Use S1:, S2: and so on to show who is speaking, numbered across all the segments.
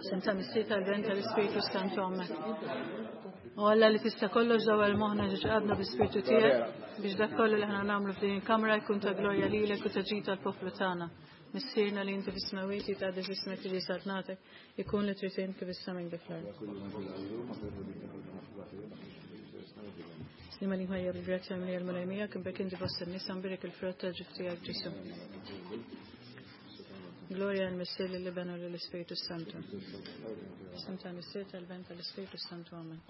S1: F'isem tal-Missier tal-Ben tal-Ispirtu Santu Amen. U Alla li tista' kollox dawwal moħħna ġo qalbna bl-Ispirtu tiegħek biex dak kollu li aħna nagħmlu f'din il-kamra jkun ta' glorja lilek u ta' ġid tal-poplu tagħna. Missierna li inti fis-smewwiet jitqaddes ismek tiġi saltnatek, ikun li trid int kif is-sema kif fl-art. Sliema għalik Marija bil-grazzja mimlija l-Mulej miegħek, imberka inti fost in-nisa mbierek il-frott tal-ġuf tiegħek Ġesù. Gloria lill-Missier lill-Iben u lill-Ispirtu Santu. F'isem tal-Missier tal-Ben tal-Ispirtu Santu Amen.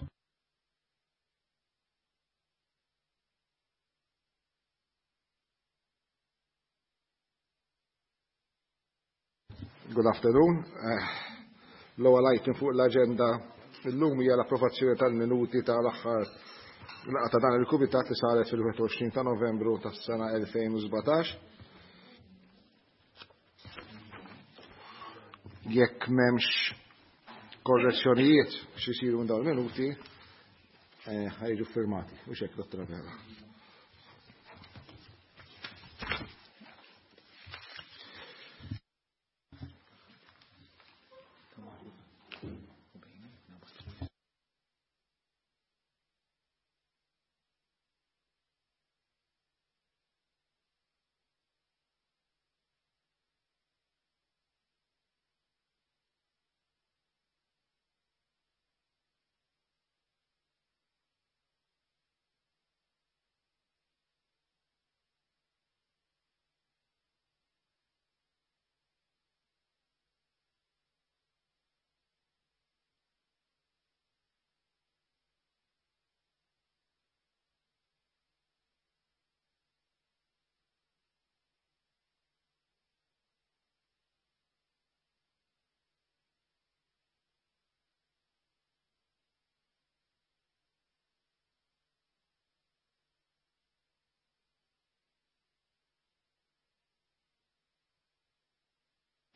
S2: Good afternoon. Eh, l-ewwel item fuq l-aġenda illum hija l-approvazzjoni tal-minuti tal-aħħar laqgħa ta' dan il-kumitat li saret fil-21 ta' Novembru tas-sena 2017. Jekk m'hemmx korrezzjonijiet x'isiru minn dawn il-minuti, eh, ħajġu firmati. U xek, dottor Abela.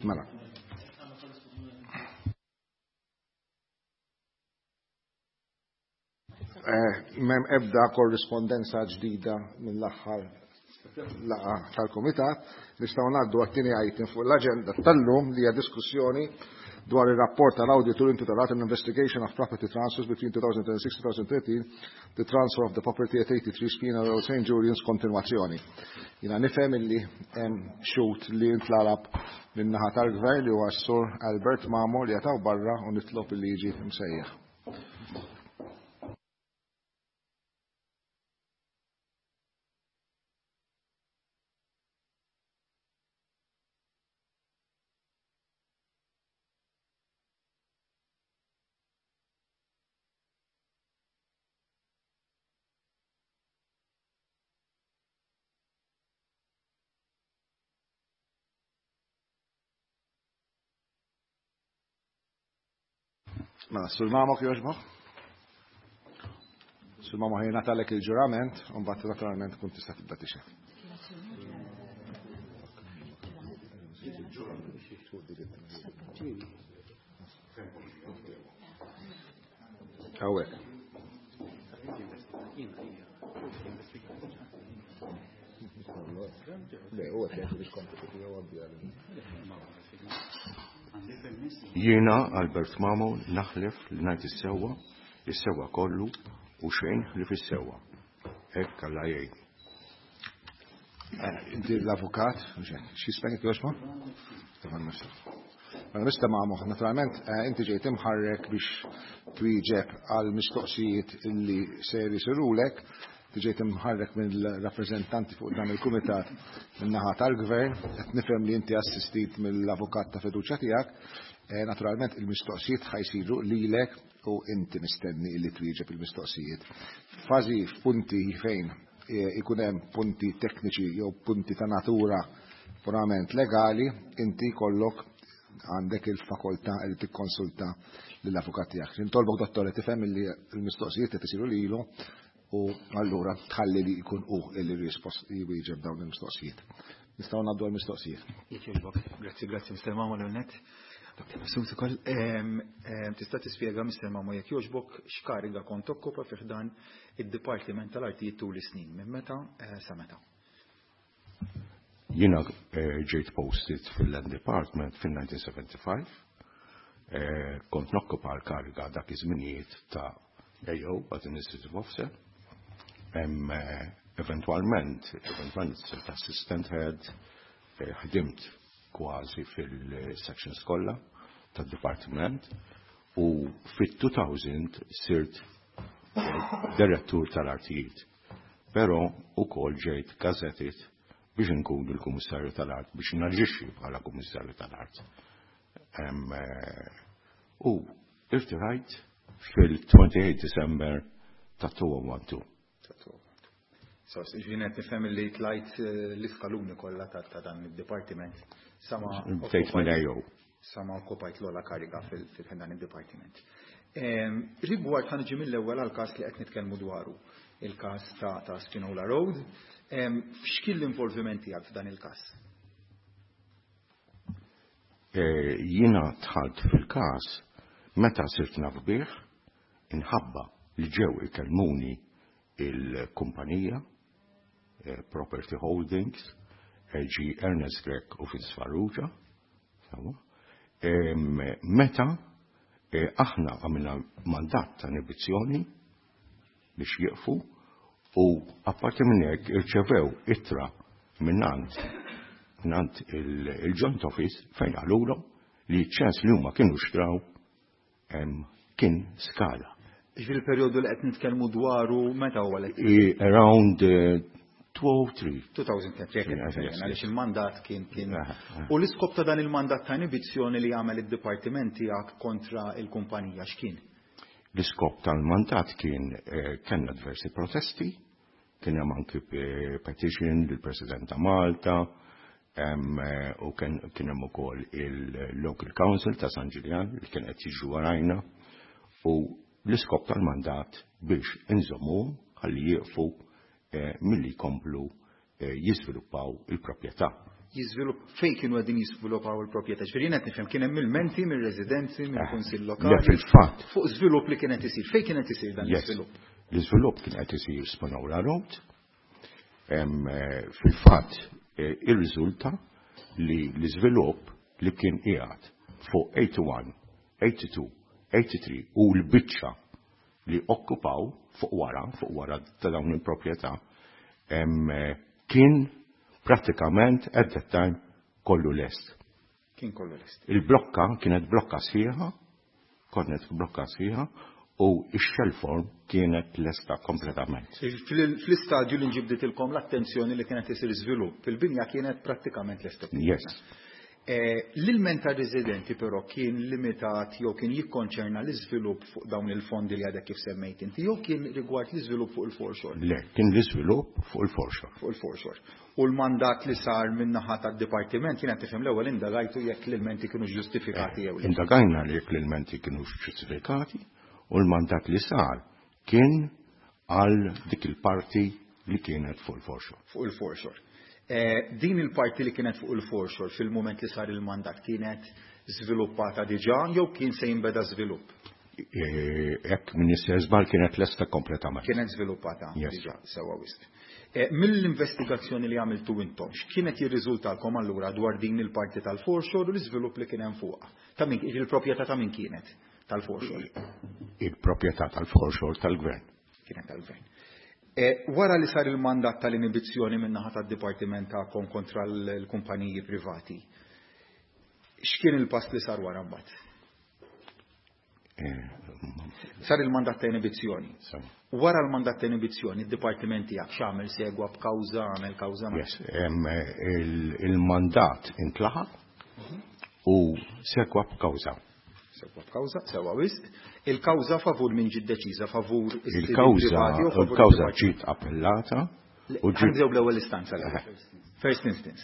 S2: Mela. Eh, mem ebda korrispondenza ġdida mill-aħħar laqa tal-Kumitat, nistgħu ngħaddu għat-tieni item fuq l-aġenda tal-lum li hija diskussjoni dwar ir-rapport tal-awditur intitolat An Investigation of Property Transfers between 2006-2013, the transfer of the property at 83 Spina Road, St. Julian's, kontinwazzjoni. Jiena nifhem illi hemm xhud li ntlalab min-naħa tal-gvern li huwa s-sur Albert Mamo li jataw barra u nitlob li jiġi msejjaħ. Mela, sur Mamo kjoġbok? Sur Mamo ħajna talek il-ġurament, un bat naturalment kun tista' tibda tixed. Hawnhekk. Le, huwa qed jgħid il-kompitu tiegħu għaddi
S3: Jiena Albert Mamo naħlef li ngħid is-sewwa, is-sewwa kollu u xejn ħlief is-sewwa. Hekk Alla jgħinni.
S2: Eh, inti l-avukat, x'jismek jogħġbok? Stefan Mifsud. Mela Mr. Mamo, naturalment eh, inti ġejt imħarrek biex twieġeb għal mistoqsijiet illi ser isirulek, inti ġejt imħarrek mill-rappreżentanti fuq dan il-kumitat min-naħa tal-gvern, qed nifhem li inti assistit mill-avukat ta' fiduċja tiegħek, eh, naturalment il-mistoqsijiet ħajsiru lilek u inti mistenni illi twieġeb il-mistoqsijiet. Fażi f'punti fejn eh, ikun hemm punti tekniċi jew punti ta' natura purament legali, inti kollok għandek il-fakoltà li tikkonsulta lill-avukat tiegħek. Nitolbok dottore tifhem li l-mistoqsijiet qed isiru lilu u allura tħalli li jkun hu li rispost jwieġeb dawn il-mistoqsijiet. Nistgħu ngħaddu għall-mistoqsijiet.
S4: Jekk Grazzi, grazzi Mr. Mamo l-net. Dr. Mifsud ukoll. Tista' tispjega Mr. Mamo jekk jogħġbok x'kariga kont tokkupa fi ħdan id-Dipartiment tal-Artijiet tul is-snin, minn meta eh, sa meta?
S3: Jiena eh, ġejt posted fil-Land Department fil-1975. Kont nokkupa l-kariga dak iż-żminijiet ta' AO, Administrative Officer. Eventwalment sirt assistant head, ħdimt kważi fil-sections kollha tad-dipartiment u fit-2000 sirt direttur tal-artijiet. Però ukoll ġejt gazetted biex nkun il-Kummissarju tal-Art, biex naġixxi bħala Kummissarju tal-Art. U irtirajt fil-28 December ta' 2012.
S4: So, ġifieri nifhem li tlajt l-iskaluni kollha ta' dan id-dipartiment. Sama
S3: Bdejt minn AO.
S4: Sama okkupajt l-ogħla kariga fil-dan id-dipartiment. Rigward ħa niġi mill-ewwel għal-każ li qed nitkellmu dwaru, il-każ ta' Spinola Road. X'kien l-involviment tiegħek f'dan il-każ?
S3: Jiena dħalt fil-każ meta sirt naf bih, inħabba li ġew ikellmuni il-kumpanija Property Holdings, ġi Ernest Grech u Vince Farrugia. Meta aħna għamilna mandat ta' inibizzjoni biex jieqfu u apparti minn hekk irċevew ittra minnant il-Joint Office fejn qalulhom li ċens li huma kienu xtraw kien skala.
S4: Ġifieri il-perjodu li qed nitkellmu dwaru meta huwa li
S3: Around 2003.
S4: 2003, għaliex il-mandat kien. U l-iskop ta' dan il-mandat ta' inibizzjoni li għamel id-dipartiment tiegħek kontra il-kumpanija x'kien?
S3: L-iskop tal-mandat kien kellna diversi protesti, kien hemm anki petition lill-President ta' Malta, u kien hemm ukoll il-Local Council ta' San Ġiljan li kien qed jiġu warajna u l-iskop tal-mandat biex inżommu ħalli jieqfu milli jkomplu jiżviluppaw il-proprjetà.
S4: Jiżvilupp fejn kienu qegħdin jiżviluppaw il-proprjetà? Ġifieri qed nifhem kien hemm ilmenti mir-residenzi, mill-kunsill lokali.
S3: Fil-fatt.
S4: Fuq żvilupp li kien qed isir. Fejn kien qed isir dan l-iżvilupp?
S3: L-iżvilupp kien qed isir Spinola Road. Fil-fatt irriżulta li l-iżvilupp li kien qiegħed fuq 81, 82, 83 u l-biċċa li okkupaw fuq wara ta' dawn il-proprjetà kien prattikament at that time kollu lest.
S4: Kien kollu lest.
S3: Il-blokka kienet blokka sħiħa, kienet blokka sħiħa u x-shell form kienet lesta kompletament.
S4: Fl-istadju li nġibditilkom l-attenzjoni li kienet isir żvilupp, il-binja kienet prattikament lesta.
S3: Yes.
S4: L-ilment ta' residenti però kien limitat jew kien jikkonċerna l-iżvilupp fuq dawn il-fondi li għadek kif semmejt inti, jew kien rigward l-iżvilupp fuq il-foreshore?
S3: Le, kien l-iżvilupp fuq il-foreshore.
S4: Fuq il-foreshore. U l-mandat li sar min-naħa tad-dipartiment kien qed tifhem l-ewwel indagajtu jekk l-ilmenti kienu ġustifikati jew le.
S3: Indagajna li jekk l-ilmenti kienu ġustifikati u l-mandat li sar kien għal dik il-parti li kienet fuq il-foreshore.
S4: Fuq il-foreshore. Din il-parti li kienet fuq il-foreshore fil-moment li sar il-mandat kienet żviluppata diġà jew kien se jinbeda żvilupp?
S3: Jekk m'iniex sejjer żball kienet lesta kompletament.
S4: Kienet żviluppata diġà, sewwa wisq. Mill-investigazzjoni li għamiltu intom, x'kienet jirriżultalkom allura dwar din il-parti tal-foreshore u l-iżvilupp li kien hemm fuqha? Ta' min il-proprjetà ta' min kienet tal-foreshore?
S3: Il-proprjetà tal-foreshore tal-gvern.
S4: Kienet tal-gvern. Wara li sar il-mandat tal-inibizzjoni min-naħa tad-dipartiment tagħkom kontra l-kumpaniji privati, x'kien il-pass li sar wara mbagħad? Sar il-mandat ta' inibizzjoni. Wara l-mandat ta' inibizzjoni, id-dipartiment tiegħek x'għamel? Segwa b'kawża, għamel kawża?
S3: Yes, il-mandat intlaħaq u segwa b'kawża.
S4: Segwa b'kawża, sewwa wisq. Il-kawża favur min ġiet deċiża? Favur
S3: Il-kawża il-kawża ġiet appellata
S4: u ġiet Ħa nibdew bl-ewwel istanza. First instance.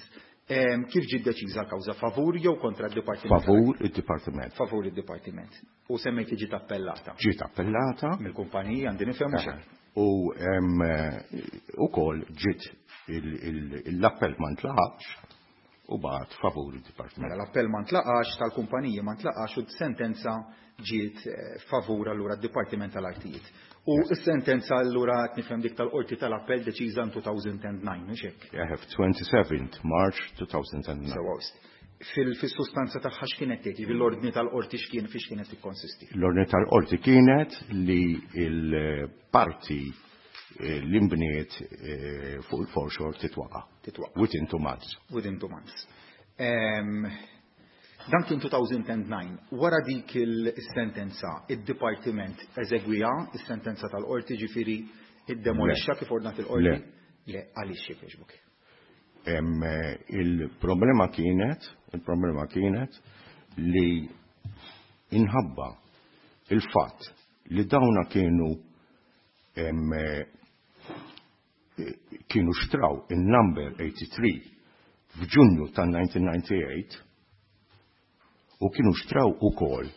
S4: Kif ġiet deċiża l-kawża? Favur jew kontra d-dipartiment?
S3: Favur id-dipartiment.
S4: Favur id-dipartiment. U semmejt li ġiet appellata.
S3: Ġiet appellata.
S4: Mill-kumpanija għandi nifhem mhux?
S3: U ukoll ġiet l-appell ma ntlaqax u bagħat favur id-dipartiment.
S4: Mela l-appell ma ntlaqax tal-kumpaniji ma ntlaqax u sentenza ġiet favur allura d-Dipartiment tal-Artijiet. U s-sentenza allura qed nifhem dik tal-Qorti tal-Appell deċiża in 2009, mhux hekk?
S3: I have 27 March 2009.
S4: Sewwa wisq. Fil-sustanza tagħha x'kienet tgħid, jiġifieri l-ordni tal-qorti x'kien fiex kienet tikkonsisti?
S3: L-ordni tal-qorti kienet li l-parti li nbniet fuq il-foreshore titwaqa'.
S4: Titwaqa'.
S3: Within 2 months.
S4: Within 2 months. Dan kien 2009. Wara dik il-sentenza, id-dipartiment eżegwija is-sentenza tal-qorti, ġifieri iddemolixxa kif ordnat il-qorti?
S3: Le.
S4: Le, għaliex, jekk jogħġbok?
S3: Il-problema kienet li inħabba il-fatt li dawna kienu xtraw il-number 83 f'Ġunju tan-1998 u kienu xtraw ukoll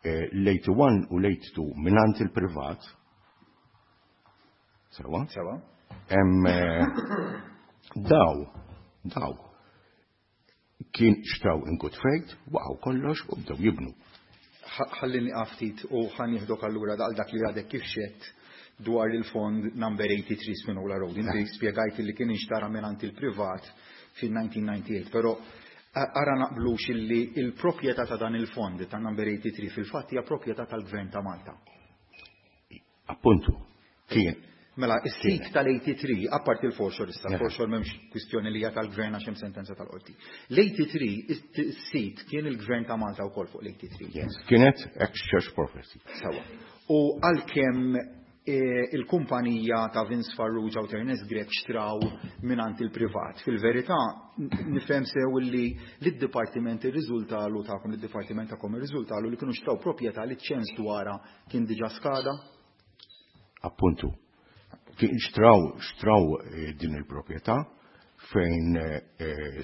S3: l-81 u l-82 mingħand il-privat. Sewa?
S4: Sewa.
S3: Daw kien xtraw in good faith, waqgħu kollox u bdew jibnu.
S4: Ħallini ftit u ħa nieħdok allura dal dak li għadek kif xedt dwar il-fond number 83 Spinola Road. Inti spjegajt li kien inxtara mingħand il-privat fil-1998, però ara naqblux illi il-proprjetà ta' dan il-fond ta' number 83 fil-fatt hija proprjetà tal-Gvern ta' Malta.
S3: Appuntu, kien.
S4: Mela, is-sit tal-83, apart il-foreshore issa, il-foreshore m'hemmx kwistjoni li hija tal-gvern għax hemm sentenza tal-qorti. L-83, is-sit kien il-Gvern ta' Malta wkoll fuq l-83.
S3: Yes, kienet ex-church property.
S4: Sewa. U għalkemm il-kumpanija ta' Vince Farrugia u Ernest Grech xtraw mingħand il-privat. Fil-verità, nifhem sew li l-dipartiment irriżultalu tagħkom, l-dipartiment tagħkom irriżultalu li kienu xtraw proprjetà li ċens dwarha kien diġà skada.
S3: Appuntu. Kien xtraw din il-proprjetà fejn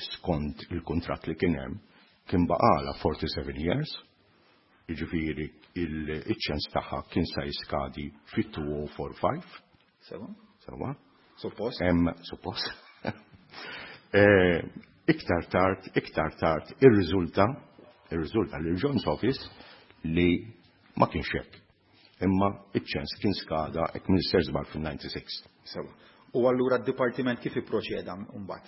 S3: skont il-kontrat li kien hemm kien baqala 47 years, jiġifieri il-ċens tagħha kien sa jiskadi fit-2045.
S4: Sewa.
S3: Sewa.
S4: Suppost.
S3: Suppost. Iktar tard irriżulta li l-Joint Office li ma kienx hekk. Imma iċ-ċens kien skada, jekk m'iniex żball, fil-96.
S4: Sewa. U allura d-dipartiment kif ipproċeda mbagħad?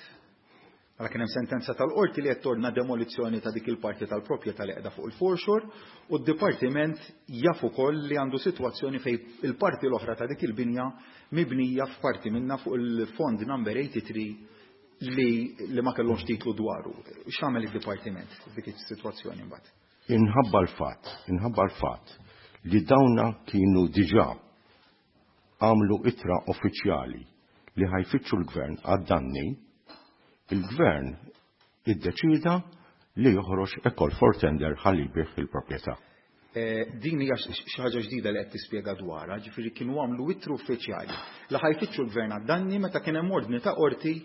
S4: Għala kien hemm sentenza tal-qorti li qed tordna demolizzjoni ta' dik il-parti tal-proprjetà li qiegħda fuq il-foreshore u d-dipartiment jaf ukoll li għandu sitwazzjoni fejn il-parti l-oħra ta' dik il-binja mibnija f'parti minna fuq il-fond number 83 li ma kellhomx titlu dwaru. X'għamel id-dipartiment f'dik is-sitwazzjoni mbagħad?
S3: Inħabba l-fatt li dawna kienu diġà għamlu ittra uffiċjali li ħa jfittxu l-gvern għad-danni, il-gvern iddeċida li joħroġ a call for tender ħalli jbigħ il-proprjetà.
S4: Din hija xi ħaġa ġdida li qed tispjega dwarha, ġifieri kienu għamlu ittru uffiċjali li ħa jfittxu l-gvern għad-danni meta kien hemm ordni ta' qorti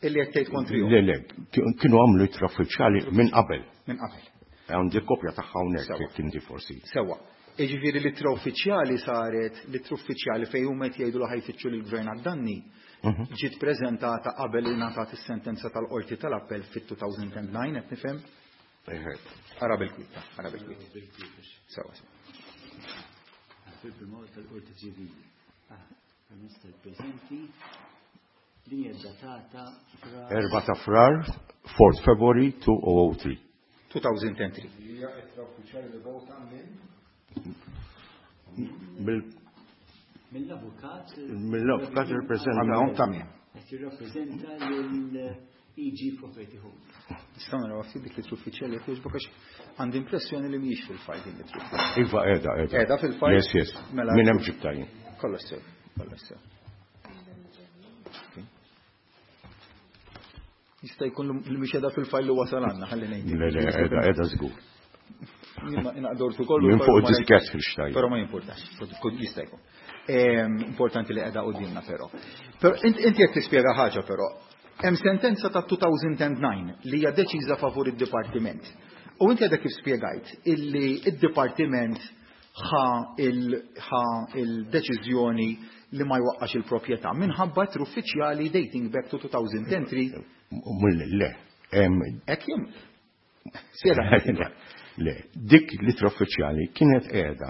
S4: illi qed tgħid kontrihom.
S3: Le, kienu għamlu ittra uffiċjali minn qabel.
S4: Minn qabel.
S3: Għandi kopja tagħha hawnhekk jekk inti forsi.
S4: Sewa. Jiġifieri l-ittra uffiċjali saret, l-ittra uffiċjali fejn huma qed jgħidu li ħa jfittxu lill-gvern għad-danni ġiet preżentata qabel li ngħatat is-sentenza tal-qorti tal-appell fit-2009, qed nifhem? Ara bil-kwita, ara bil-kwita. Sewa.
S5: Fil-prima tal-Qorti Ċivili. Permezz tal-preżenti din hija datata fra
S3: 4 ta' Frar, 4 February 2003.
S4: 2003.
S2: Hija ittra uffiċjali li vota minn
S5: Mill-avukat
S3: Mill-avukat jirrappreżenta.
S2: Għandhom ta' min.
S5: Qed jirrappreżenta lil EG Property Home.
S4: Nistgħu naraw ftit dik l-ittra uffiċjali, jekk jogħġbok, għax għandi impressjoni li mhijiex fil-fajl din l-ittra uffiċjali.
S3: Iva, qiegħda, qiegħda.
S4: Qiegħda fil-fajl?
S3: Yes.
S4: Mela.
S3: Minn hemm ġibta jien.
S4: Kollox sew, kollox sew. Jista' jkun li mhix qiegħda fil-fajl li wasal għandna, ħalli ngħid.
S3: Le, qiegħda, qiegħda żgur.
S4: Inaqdortu kollu.
S3: Minn fuq
S4: però ma
S3: diskett fil-xtajn.
S4: Però ma jimpurtax, jista' jkun. Importanti li qiegħda qudiemna però. Però inti qed tispjega ħaġa però. Hemm sentenza ta' 2009 li hija deċiża favur id-dipartiment. U inti għadek kif spjegajt illi id-dipartiment ħa il-deċiżjoni li ma jwaqqax il-proprjetà minħabba ittri uffiċjali dating back to 2003.
S3: Le.
S4: Hekk jum. Spjega.
S3: Le, dik l-ittra uffiċjali kienet qiegħda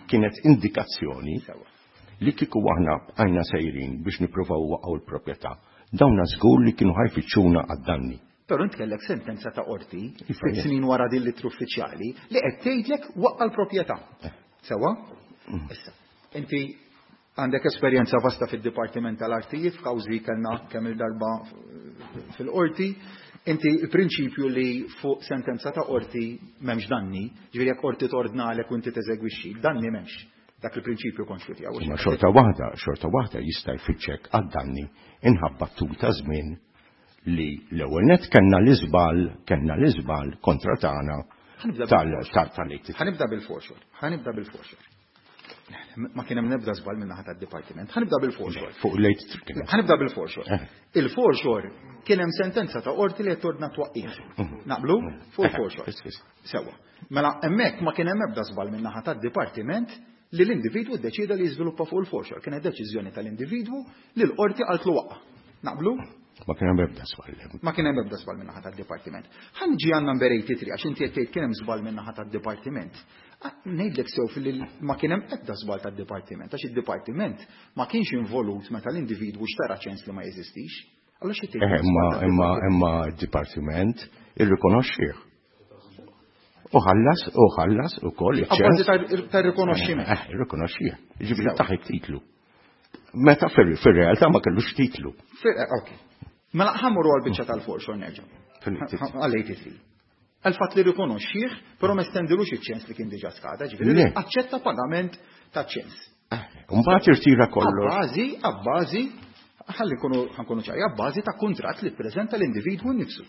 S3: kienet indikazzjoni li kieku aħna bqajna sejrin biex nippruvaw waqgħu l-proprjetà. Dawna żgur li kienu ħa jfittxuna għad-danni.
S4: Però int kellek sentenza ta' qorti 6 snin wara din l-ittra uffiċjali li qed tgħidlek waqqa' l-proprjetà. Sewwa? Issa, inti għandek esperjenza vasta fid-Dipartiment tal-Artijiet, f'kawżi kellna kemm il-darba fil-qorti. Inti il-prinċipju li fuq sentenza ta' qorti m'hemmx danni, ġifieri jekk qorti tordnalek u inti teżegwixxi, danni m'hemmx. Dak il-prinċipju konxju tiegħu.
S3: Ma xorta waħda jista' jfittxek għad-danni inħabba tul ta' żmien li l-ewwel net kellna l-iżball, kellna l-iżball kontra tagħna tal-tal.
S4: Ħanibda bil-foreshore, ħanibda bil-foreshore. Ma kien hemm nebda żball minn naħa tad-dipartiment. Ħanibda bil-foreshore.
S3: Fuq late kien.
S4: Ħanibda bil-foreshore. Il-foreshore kien hemm sentenza ta' qorti li qed tordna twaqqih. Naqblu? Fuq il-foreshore. Sewwa. Mela hemmhekk ma kien hemm ebda żball minn naħa tad-dipartiment li l-individwu ddeċieda li jiżviluppa fuq il-foreshore. Kienet deċiżjoni tal-individwu li l-qorti qaltlu waqqa'. Naqblu?
S3: Ma kien hemm ebda żball.
S4: Ma kien hemm ebda żball minn naħa tad-dipartiment. Ħa niġi għal number 83 għax inti qed tgħid kien hemm żball minn naħa tad-dipartiment. Ngħidlek sew fil ma kien hemm ebda żball tad-dipartiment għax id-dipartiment ma kienx involut meta l-individwu xtara ċens li ma jeżistix. Allura xi tgħid?
S3: Imma d-dipartiment irrikonoxxih. U ħallas, u ħallas ukoll
S4: iċ-ċens. Abbażi tar-rikonoxximent.
S3: Irrikonoxxih. Ġifieri taħ it-titlu. Meta fir-realtà ma kellux titlu.
S4: Ok. Mela ħammuru għal-biċċa tal-foreshore nerġa'. Għal-83. Għal-fatt li rikonoxxih, però ma stendilux iċ-ċens li kien diġà skada, ġifieri aċċetta pagament ta' ċens.
S3: Mbagħad irtira kollox.
S4: Abbażi, abbażi, ħalli nkunu ċari, abbażi ta' kuntratt li ppreżenta l-individwu nnifsu.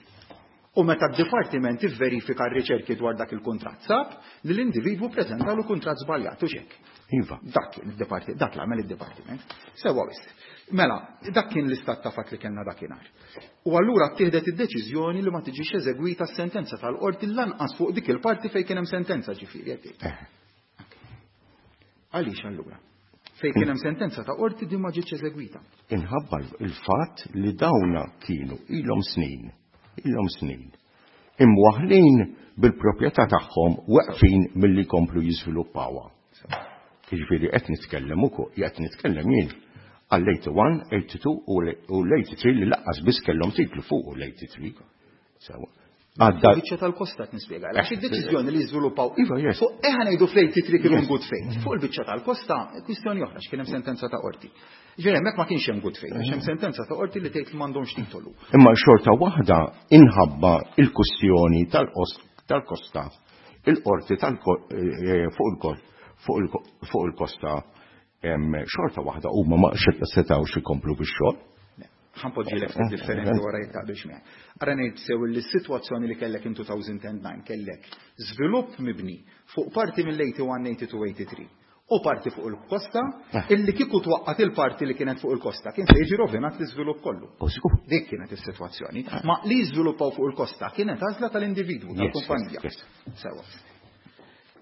S4: U meta d-dipartiment ivverifika r-riċerki dwar dak il-kuntratt sab li l-individwu preżentalu kuntratt żbaljat u xek.
S3: Iva.
S4: Dak kien id-dipartiment, dak l-għamel id-dipartiment. Sewwa wisq. Mela, dak kien l-istat ta' fatt li kellna dakinhar. U allura ttieħdet id-deċiżjoni li ma tiġix eżegwita s-sentenza tal-qorti lanqas fuq dik il-parti fejn kien hemm sentenza ġifieri qed tgħid. Għaliex allura? Fejn kien hemm sentenza ta' qorti din ma ġietx eżegwita.
S3: Inħabba il-fatt li dawna kienu ilhom snin, ilhom snin, imwaħlin bil-proprjetà tagħhom weqfin milli jkomplu jiżviluppawha. Jiġifieri qed nitkellem ukoll, qed nitkellem jien għall-81, 82 u l-83 li laqqas biss kellhom titlu fuq l-83. Sewa.
S4: Għadda. Biċċa tal-kosta qed nispjega. Għax id-deċiżjoni li jiżviluppaw.
S3: Iva, yes.
S4: Fuq eħa ngħidu fl-83 kienu good faith. Fuq il-biċċa tal-kosta kwistjoni oħra x'kien hemm sentenza ta' qorti. Ġifieri hemmhekk ma kienx hemm good faith, għax hemm sentenza ta' qorti li tgħid li m'għandhomx titolu.
S3: Imma xorta waħda inħabba il-kwistjoni tal-kosta, il-qorti fuq il-kosta xorta waħda huma ma setgħux ikomplu bix-xogħol.
S4: Ħanpoġġi l ftit differenti wara jekk taqbilx miegħi. Ara ngħid sew li s-sitwazzjoni li kellek in 2009 kellek żvilupp mibni fuq parti mill-81, 82, 83 u parti fuq il-kosta illi kieku twaqqat il-parti li kienet fuq il-kosta kien se jiġi rovinat l-iżvilupp kollu. Dik kienet is-sitwazzjoni. Ma li jiżviluppaw fuq il-kosta kienet għażla tal-individwu, tal-kumpanija. Sewa.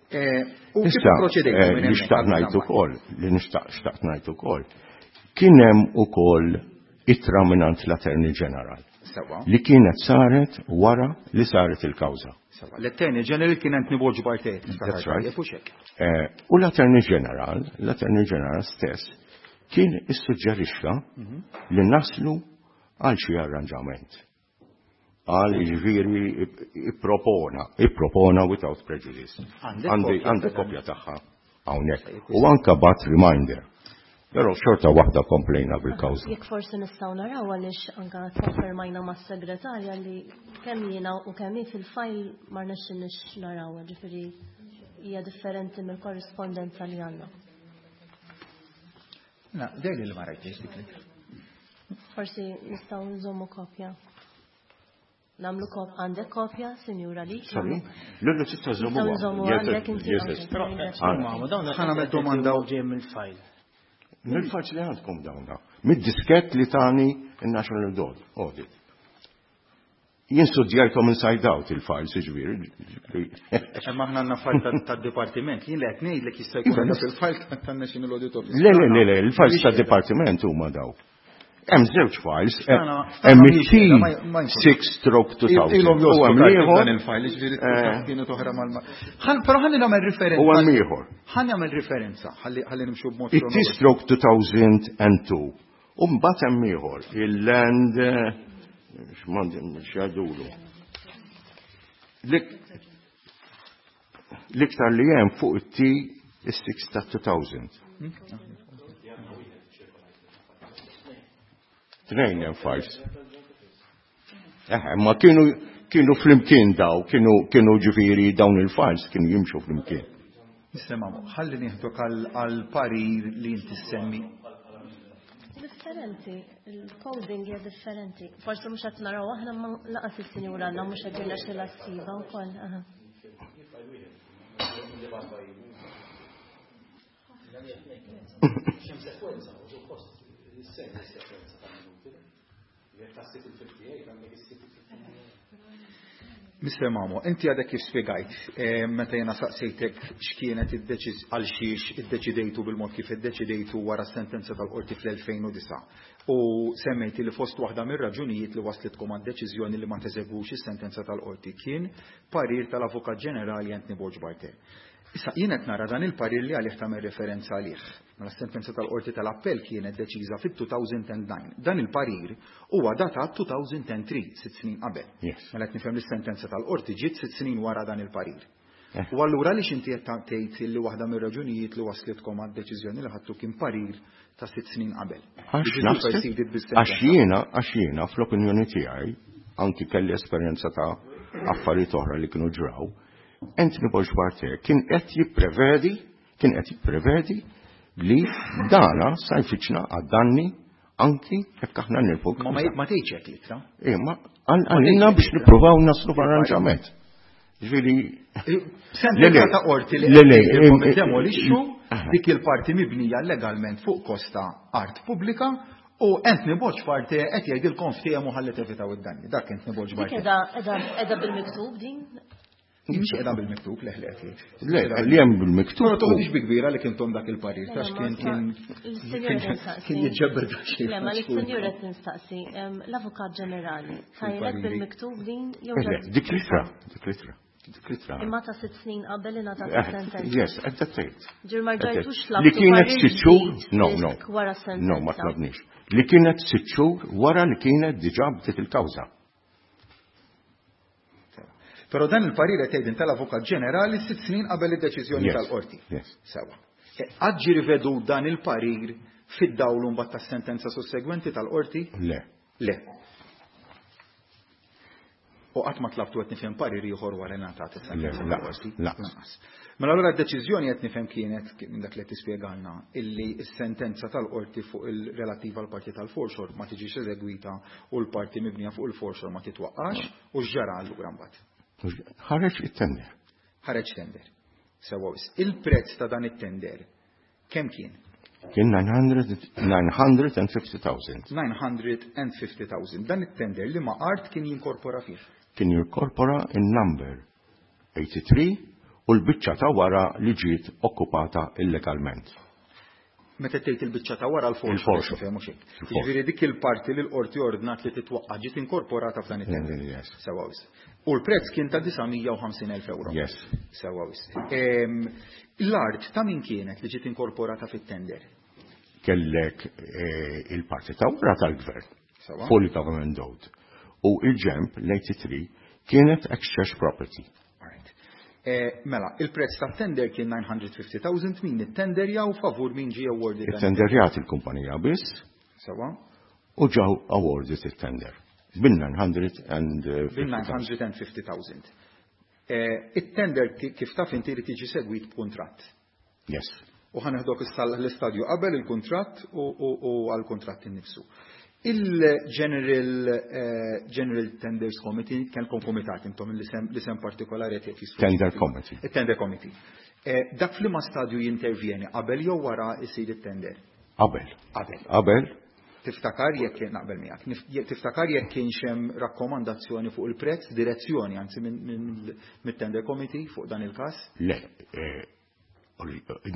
S4: U kif proċedejtu minn
S3: Li xtaqt ngħid ukoll, li nixtaq xtaqt ngħid ukoll, kien hemm ukoll ittra mingħand l-Attorney General.
S4: Sewa.
S3: Li kienet saret wara li saret il-kawża.
S4: Sewa. L-Attorney General kien Anthony Borg Barthet.
S3: That's right.
S4: Jekk hux hekk.
S3: U l-Attorney General, l-Attorney General stess, kien issuġġerixxa li naslu għal xi arranġament. Għal jiġifieri ippropona without prejudice. Għandi kopja tagħha hawnhekk. U anka bat reminder. Però xorta waħda komplejna bil-kawża.
S6: Jekk forsi nistgħu naraw għaliex anka konfermajna mas-segretarja li kemm jiena u kemm hi fil-fajl ma rnexxinniex naraw, ġifieri hija differenti mill-korrispondenza li għandna.
S4: Na, dejli li ma rajtix dik li.
S6: Forsi nistgħu nżommu kopja. Namlu kop, għandek kopja, Sinjura li?
S3: Sorry? Lullu tista' żommu.
S6: Nistgħu nżommu għandek inti.
S4: Ħa nagħmel domanda
S5: u ġej mill-fajl.
S3: Mill-fajl li għandkom dawna. Mid-diskett li tani il-National Audit. Jien studjajthom inside out il-files, ġifieri.
S4: Imma aħna għandna fajl tad-dipartiment, jien li qed ngħidlek jista' jkun fil-fajl tan-National Audit Office.
S3: Le, le, le, le, il-files tad-dipartiment huma daw. Hemm żewġ files, hemm it-T 6 stroke 2000.
S4: Ilhom
S3: U hemm ieħor.
S4: Dan il-file, ġifieri kienet oħra mal. Però ħalli nagħmel referenza.
S3: U hemm ieħor.
S4: Ħalli nagħmel referenza, ħalli nimxu b'mod.
S3: It-T stroke 2002. U mbagħad hemm ieħor, il-land. X'mandi x'jgħidulu. L-iktar li hemm fuq it-T is-6 ta' 2000. Tnejn hemm files. Ma kienu flimkien daw, kienu ġifieri dawn il-files kienu jimxu flimkien.
S4: Nisimgħu, ħalli nieħdok għal parir li inti semmi.
S6: Differenti, il-coding hija differenti. Forsi mhux qed naraw aħna ma laqas is-sinjura għandna mhux qed jirnexxilha ssiba wkoll.
S4: Mr. Mamo, inti għadek kif spiegajt, meta jena saqsejtek x'kienet id-deċiż għal xiex iddeċidejtu bil-mod kif iddeċidejtu wara s-sentenza tal-qorti fl-2009. U semmejti li fost waħda mir-raġunijiet li waslitkom għad-deċiżjoni li ma teżegwux is-sentenza tal-qorti kien parir tal-Avukat Ġenerali Anthony Borg Barthe. Issa jien qed nara dan il-parir li għalih tagħmel referenza għalih. Mela s-sentenza tal-qorti tal-appell kienet deċiża fit-2009. Dan il-parir huwa datat 2003, 6 snin qabel. Mela qed nifhem li s-sentenza tal-qorti ġiet 6 snin wara dan il-parir. U allura għaliex inti qed tgħid li waħda mir-raġunijiet li waslitkom għad-deċiżjoni li ħadtu kien parir ta' 6 snin qabel?
S3: Għax jiena fl-opinjoni tiegħi anki kelli esperjenza ta' affarijiet oħra li kienu ġraw, Anthony Borg Barthe kien qed jipprevedi li dana sa jfittxna għad-danni anki jekk aħna nirfu.
S4: Ma ma tgħidx hekk litra.
S3: Ma għalina biex nippruvaw naslu f'arranġament. Ġifieri
S4: Sentenza ta' qorti li demolixxu dik il-parti mibnija legalment fuq kosta art pubblika u Anthony Borg Barthe qed jgħidilkom ftehmu ħalli tevitaw id-danni. Dak Anthony Borg Barthe.
S6: Dik qiegħda bil-miktub din?
S4: Mhix qiegħda bil-miktub, le, le, le.
S3: Le, li hemm bil-miktub.
S4: Però toħodix bi kbira li kintom dak il-parir, tax kien jiġġeber dak xejn.
S6: Le, ma l-sinjur qed nistaqsi, l-Avukat Ġenerali, tajlek bil-miktub din jew
S3: Le, dik litra, dik litra. Dik litra.
S6: Imma ta' 6 snin qabel ingħatat is-sentenza.
S3: Yes, at that date.
S6: Ġir ma rġajtux
S3: Li kienet
S6: tlabtu
S3: sitt xhur, no, no.
S6: wara s-sentenza.
S3: No, ma tlabniex. Li kienet 6 xhur wara li kienet diġà bdiet il-kawża.
S4: Però dan il-parir qed jgħid tal-Avukat Ġenerali 6 snin qabel id-deċiżjoni tal-qorti. Sewa. Qatt ġie rivedu dan il-parir fid-dawl mbagħad tas-sentenza sussegwenti tal-qorti?
S3: Le.
S4: Le. U qatt ma tlabtu qed nifhem parir ieħor wara li ngħatat is-sentenza tal-qorti?
S3: Lanqas.
S4: Mela allura d-deċiżjoni qed nifhem kienet minn dak li qed tispjegalna illi s-sentenza tal-qorti fuq il-relattiva għal parti tal-foreshore ma tiġix eżegwita u l-parti mibnija fuq il-foreshore ma titwaqqax u x'ġara allura mbagħad.
S3: Ħareġ it-tender.
S4: Ħareġ tender. Sewa wis. Il-prezz ta' dan it-tender kemm kien?
S3: Kien 950,000.
S4: 950,000. Dan it-tender li ma art kien jinkorpora fih?
S3: Kien jinkorpora in-number 83 u l-biċċa ta' wara li ġiet okkupata illegalment.
S4: Meta tgħid il-biċċa ta' wara l-forxo,
S3: Il-forxo.
S4: fehmu xejn.
S3: Il-forxo.
S4: Jiġifieri dik il-parti li l-qorti ordnat li titwaqqa' ġiet inkorporata f'dan it-tender.
S3: Yes.
S4: Sewa wis. U l-prezz kien ta' 950,000 euro.
S3: Yes.
S4: Sewa wis. L-art ta' min kienet li ġiet inkorporata fit-tender?
S3: Kellek il-parti ta' wara tal-gvern.
S4: Sewa.
S3: Fully government owned. U il-ġemp l-83 kienet ex-church property.
S4: Mela, il-prezz ta' tender kien 950,000, min it-tender jew favur min ġie awarded?
S3: It-tenderjat il-kumpanija biss.
S4: Sewa.
S3: U ġew awarded it-tender. Bin nine hundred and fifty
S4: Bin 950,000. It-tender kif taf inti li tiġi segwit b'kuntratt.
S3: Yes.
S4: U ħaneħdok issa l-istadju qabel il-kuntratt u għall-kuntratt innifsu. Il-General General Tenders Committee, kellkom komitat intom l-isem partikolari qed jisfru.
S3: Tender Committee.
S4: Il-Tender Committee. Dak f'liema stadju jintervjeni, qabel jew wara jsir it-tender?
S3: Qabel.
S4: Qabel.
S3: Qabel.
S4: Tiftakar jekk kien naqbel miegħek. Tiftakar jekk kienx hemm rakkomandazzjoni fuq il-prezz, direzzjoni anzi mit-Tender Committee fuq dan il-każ?
S3: Le,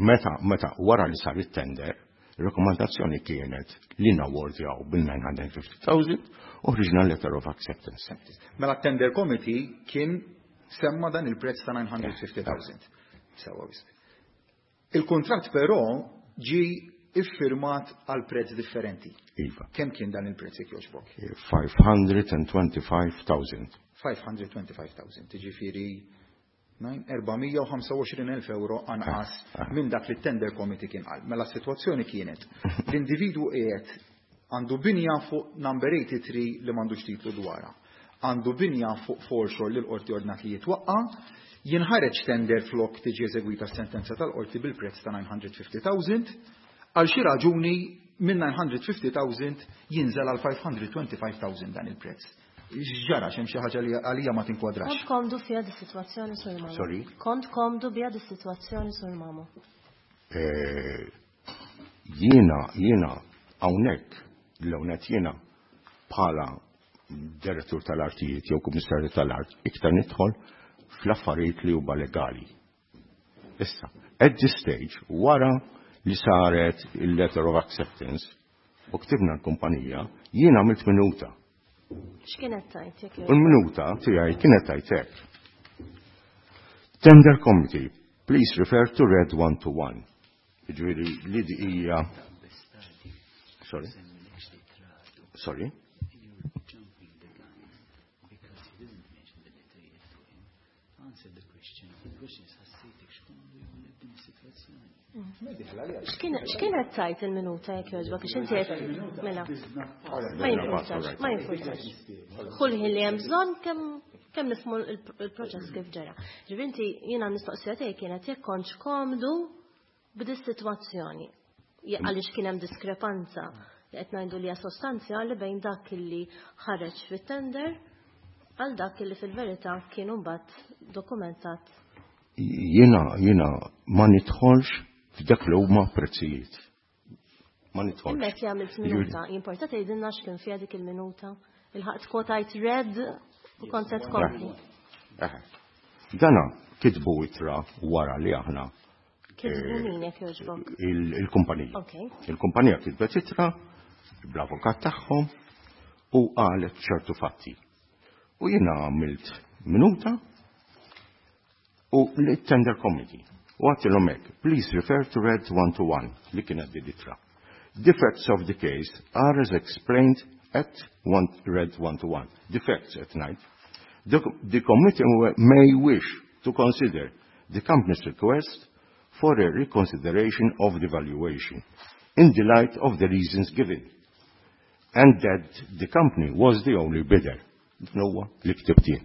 S3: meta wara li sar it-tender, il-rakkomandazzjoni kienet li nawardjaw bil-950,000 u ħriġna letter of acceptance.
S4: Mela t-Tender Committee kien semma dan il-prezz ta' 950,000. Sewa wisq. Il-kuntratt però ġi iffirmat għal prezz differenti.
S3: Iva.
S4: Kemm kien dan il-prezz jekk jogħġbok?
S3: 525,000.
S4: 525,000, jiġifieri 425,000 euro anqas minn dak li t-tender committee kien qal. Mela s-sitwazzjoni kienet l-individwu qiegħed għandu binja fuq number 83 li m'għandux titlu dwarha. Għandu binja fuq foreshore li l-qorti ordnat li jitwaqqa', jinħareġ tender flok tiġi eżegwita s-sentenza tal-qorti bil-prezz ta' 950,000, għal xi raġuni minn 950,000 jinżel għal 525,000 dan il-prezz. X'ġara, x'hemm xi ħaġa li għalija ma tinkwadrax.
S6: Kont komdu fiha dis-sitwazzjoni, Sur Mamo?
S3: Sorry?
S6: Kont komdu biha dis-sitwazzjoni, Sur Mamo?
S3: Jiena hawnhekk, l-hawnhekk jiena bħala direttur tal-artijiet jew kummissarju tal-art iktar nidħol fl-affarijiet li huma legali. Issa, at this stage, wara li saret il-letter of acceptance u ktibna l-kumpanija, jiena għamilt minuta.
S6: X'kienet tajt, jekk
S3: U l-minuta tiegħi kienet tajt hekk. Tender Committee, please refer to red 1 to 1. Jiġifieri li di hija Sorry. Sorry.
S6: X'kienet tajt il-minuta jekk jogħġbok? Għax inti qed mela. Ma jimpurtax, ma jimpurtax. Kull ħin li hemm bżonn kemm nifhmu il-proċess kif ġara. Ġifieri inti jiena mistoqsija tiegħi kienet jekk kontx komdu b'dis-sitwazzjoni. Għaliex kien hemm diskrepanza li qed ngħidu li hija sostanzjali bejn dak li ħareġ fit-tender għal dak li fil-verità kien imbagħad dokumentat.
S3: Jiena ma nidħolx f'dak li huma prezzijiet. Ma nidħolx.
S6: Hemmhekk li għamilt minuta, jimporta tgħidilna x'kien fiha dik il-minuta. Il-ħaqt kwotajt red u kont se tkompli.
S3: Dana kitbu ittra wara li aħna
S6: Kitbu min jekk jogħġbok?
S3: Il-kumpanija. Il-kumpanija kitbet ittra bl-avukat tagħhom u qalet ċertu fatti. U jiena għamilt minuta u l-tender committee. U għedtilhom hekk, please refer to red 1 to 1 li kienet di ittra. The facts of the case are as explained at one, red 1 to 1. The facts at night. The committee may wish to consider the company's request for a reconsideration of the valuation in the light of the reasons given, and that the company was the only bidder. Huwa li ktibt jien.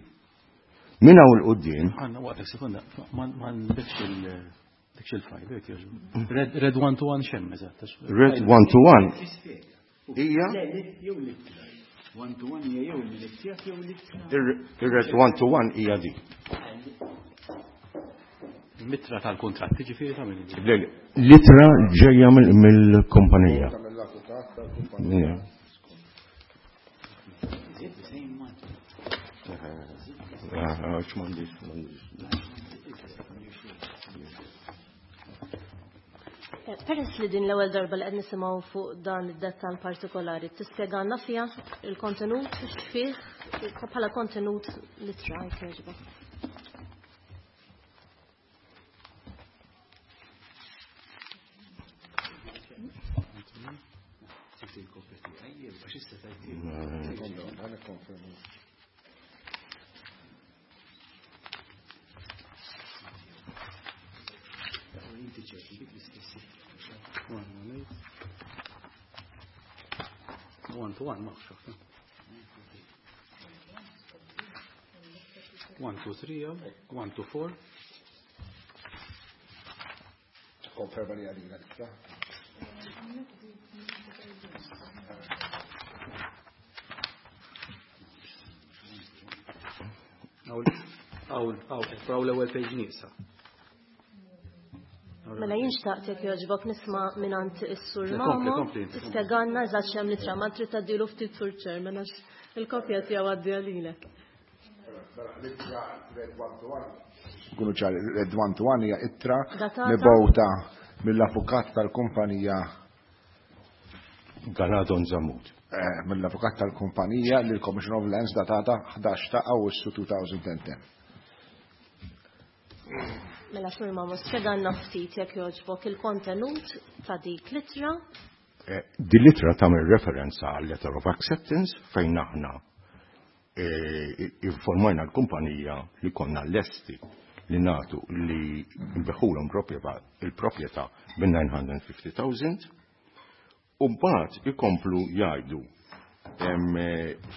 S3: Minn hawn 'l quddiem.
S7: Għanna waqt sekonda, ma nbidx dik il-fajl, jekk jogħġbu. Red 1 to 1 xemm, eżatt.
S3: Red 1 to 1 hija
S5: 1 to 1 hija jew il-mizzjat jew l-ittra.
S3: Ir-red 1 to 1 hija di.
S7: Mitra tal-kontratti ġifieri ta' min?
S3: Le, l-ittra ġejja mill-kumpanija.
S2: Mill-avukat tal-kumpanija.
S3: X'm'għandix, m'għandix.
S6: Peress li din l-ewwel darba li qed nisimgħu fuq dan id-dettall partikolari, tispjegalna fiha il-kontenut x'fih bħala kontenut l-ittra jekk jogħġbok.
S7: One to one, ma xaħta. 1, 2, 3, 1, 2, 4.
S2: Konferma li għalina l-iktar.
S7: Għaw, l-ewwel page nieqsa.
S6: Mela jien xtaqt jekk jogħġbok nisma' mingħand is-Sur
S7: Le,
S6: Mamo,
S7: kompli, kompli, kompli.
S6: tispjegalna eżatt x'hemm l-ittra, ma trid tgħaddilu ftit Sur Chairman għax il-kopja tiegħu għaddiha lilek.
S2: L-ittra red 1 to 1. Kunu ċari, red 1 to 1 hija ittra
S6: Datata.
S2: mibgħuta mill-avukat tal-kumpanija
S3: Galadon Zamut.
S2: Mill-avukat tal-kumpanija lil Commission of Lands datata 11 ta' Awwissu 2010.
S6: Mela Sur Mamo, spjegalna ftit jekk jogħġbok il-kontenut ta' dik l-ittra.
S3: Din l-ittra tagħmel referenza għal letter of acceptance fejn aħna informajna l-kumpanija li konna lesti li nagħtu li nbigħulhom il-proprjetà bin-950,000 u mbagħad ikomplu jgħidu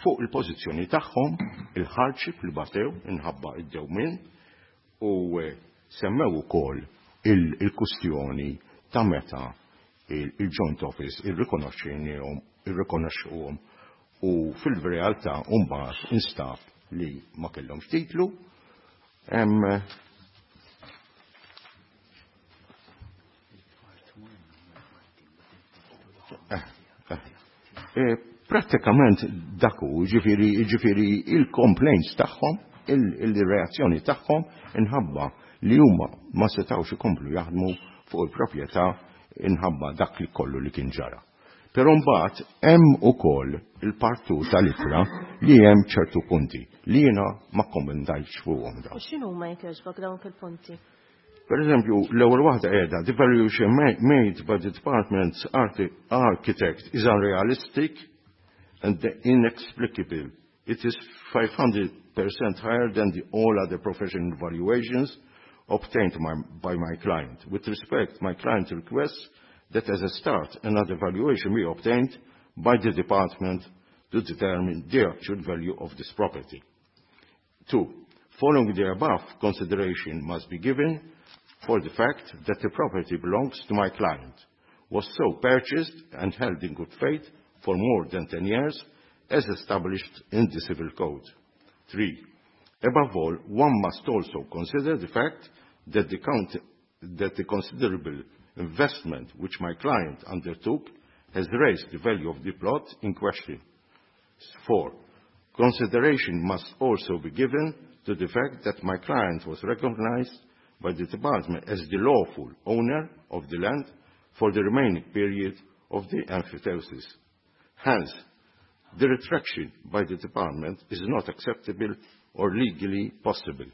S3: fuq il-pożizzjoni tagħhom, il-hardship li batew inħabba id-dewmien u semmew ukoll il-kustjoni ta' meta il-joint office irrikonoxxinihom, irrikonoxxuhom u fil-realtà mbagħad instab li ma kellhomx titlu. Prattikament dak hu, ġifieri il-complaints tagħhom, il-reazzjoni tagħhom inħabba li huma ma setgħux ikomplu jaħdmu fuq il-proprjetà inħabba dak li kollu li kien ġara. Però mbagħad hemm ukoll il-partu tal-ittra li hemm ċertu punti li jiena ma kkommentajtx fuqhom dawn.
S6: U x'inhuma jekk jogħġbok dawk il-punti?
S3: Per eżempju, l-ewwel waħda qiegħda, the valuation made by the department's architect is unrealistic and inexplicable. It is 500% higher than the all other professional valuations obtained by my client. With respect, my client requests that as a start, another valuation be obtained by the department to determine the actual value of this property. 2. Following the above, consideration must be given for the fact that the property belongs to my client, was so purchased and held in good faith for more than 10 years, as established in the Civil Code. 3. Above all, one must also consider the fact that the considerable investment which my client undertook has raised the value of the plot in question. 4. Consideration must also be given to the fact that my client was recognized by the department as the lawful owner of the land for the remaining period of the emphyteusis. Hence, the retraction by the department is not acceptable or legally possible.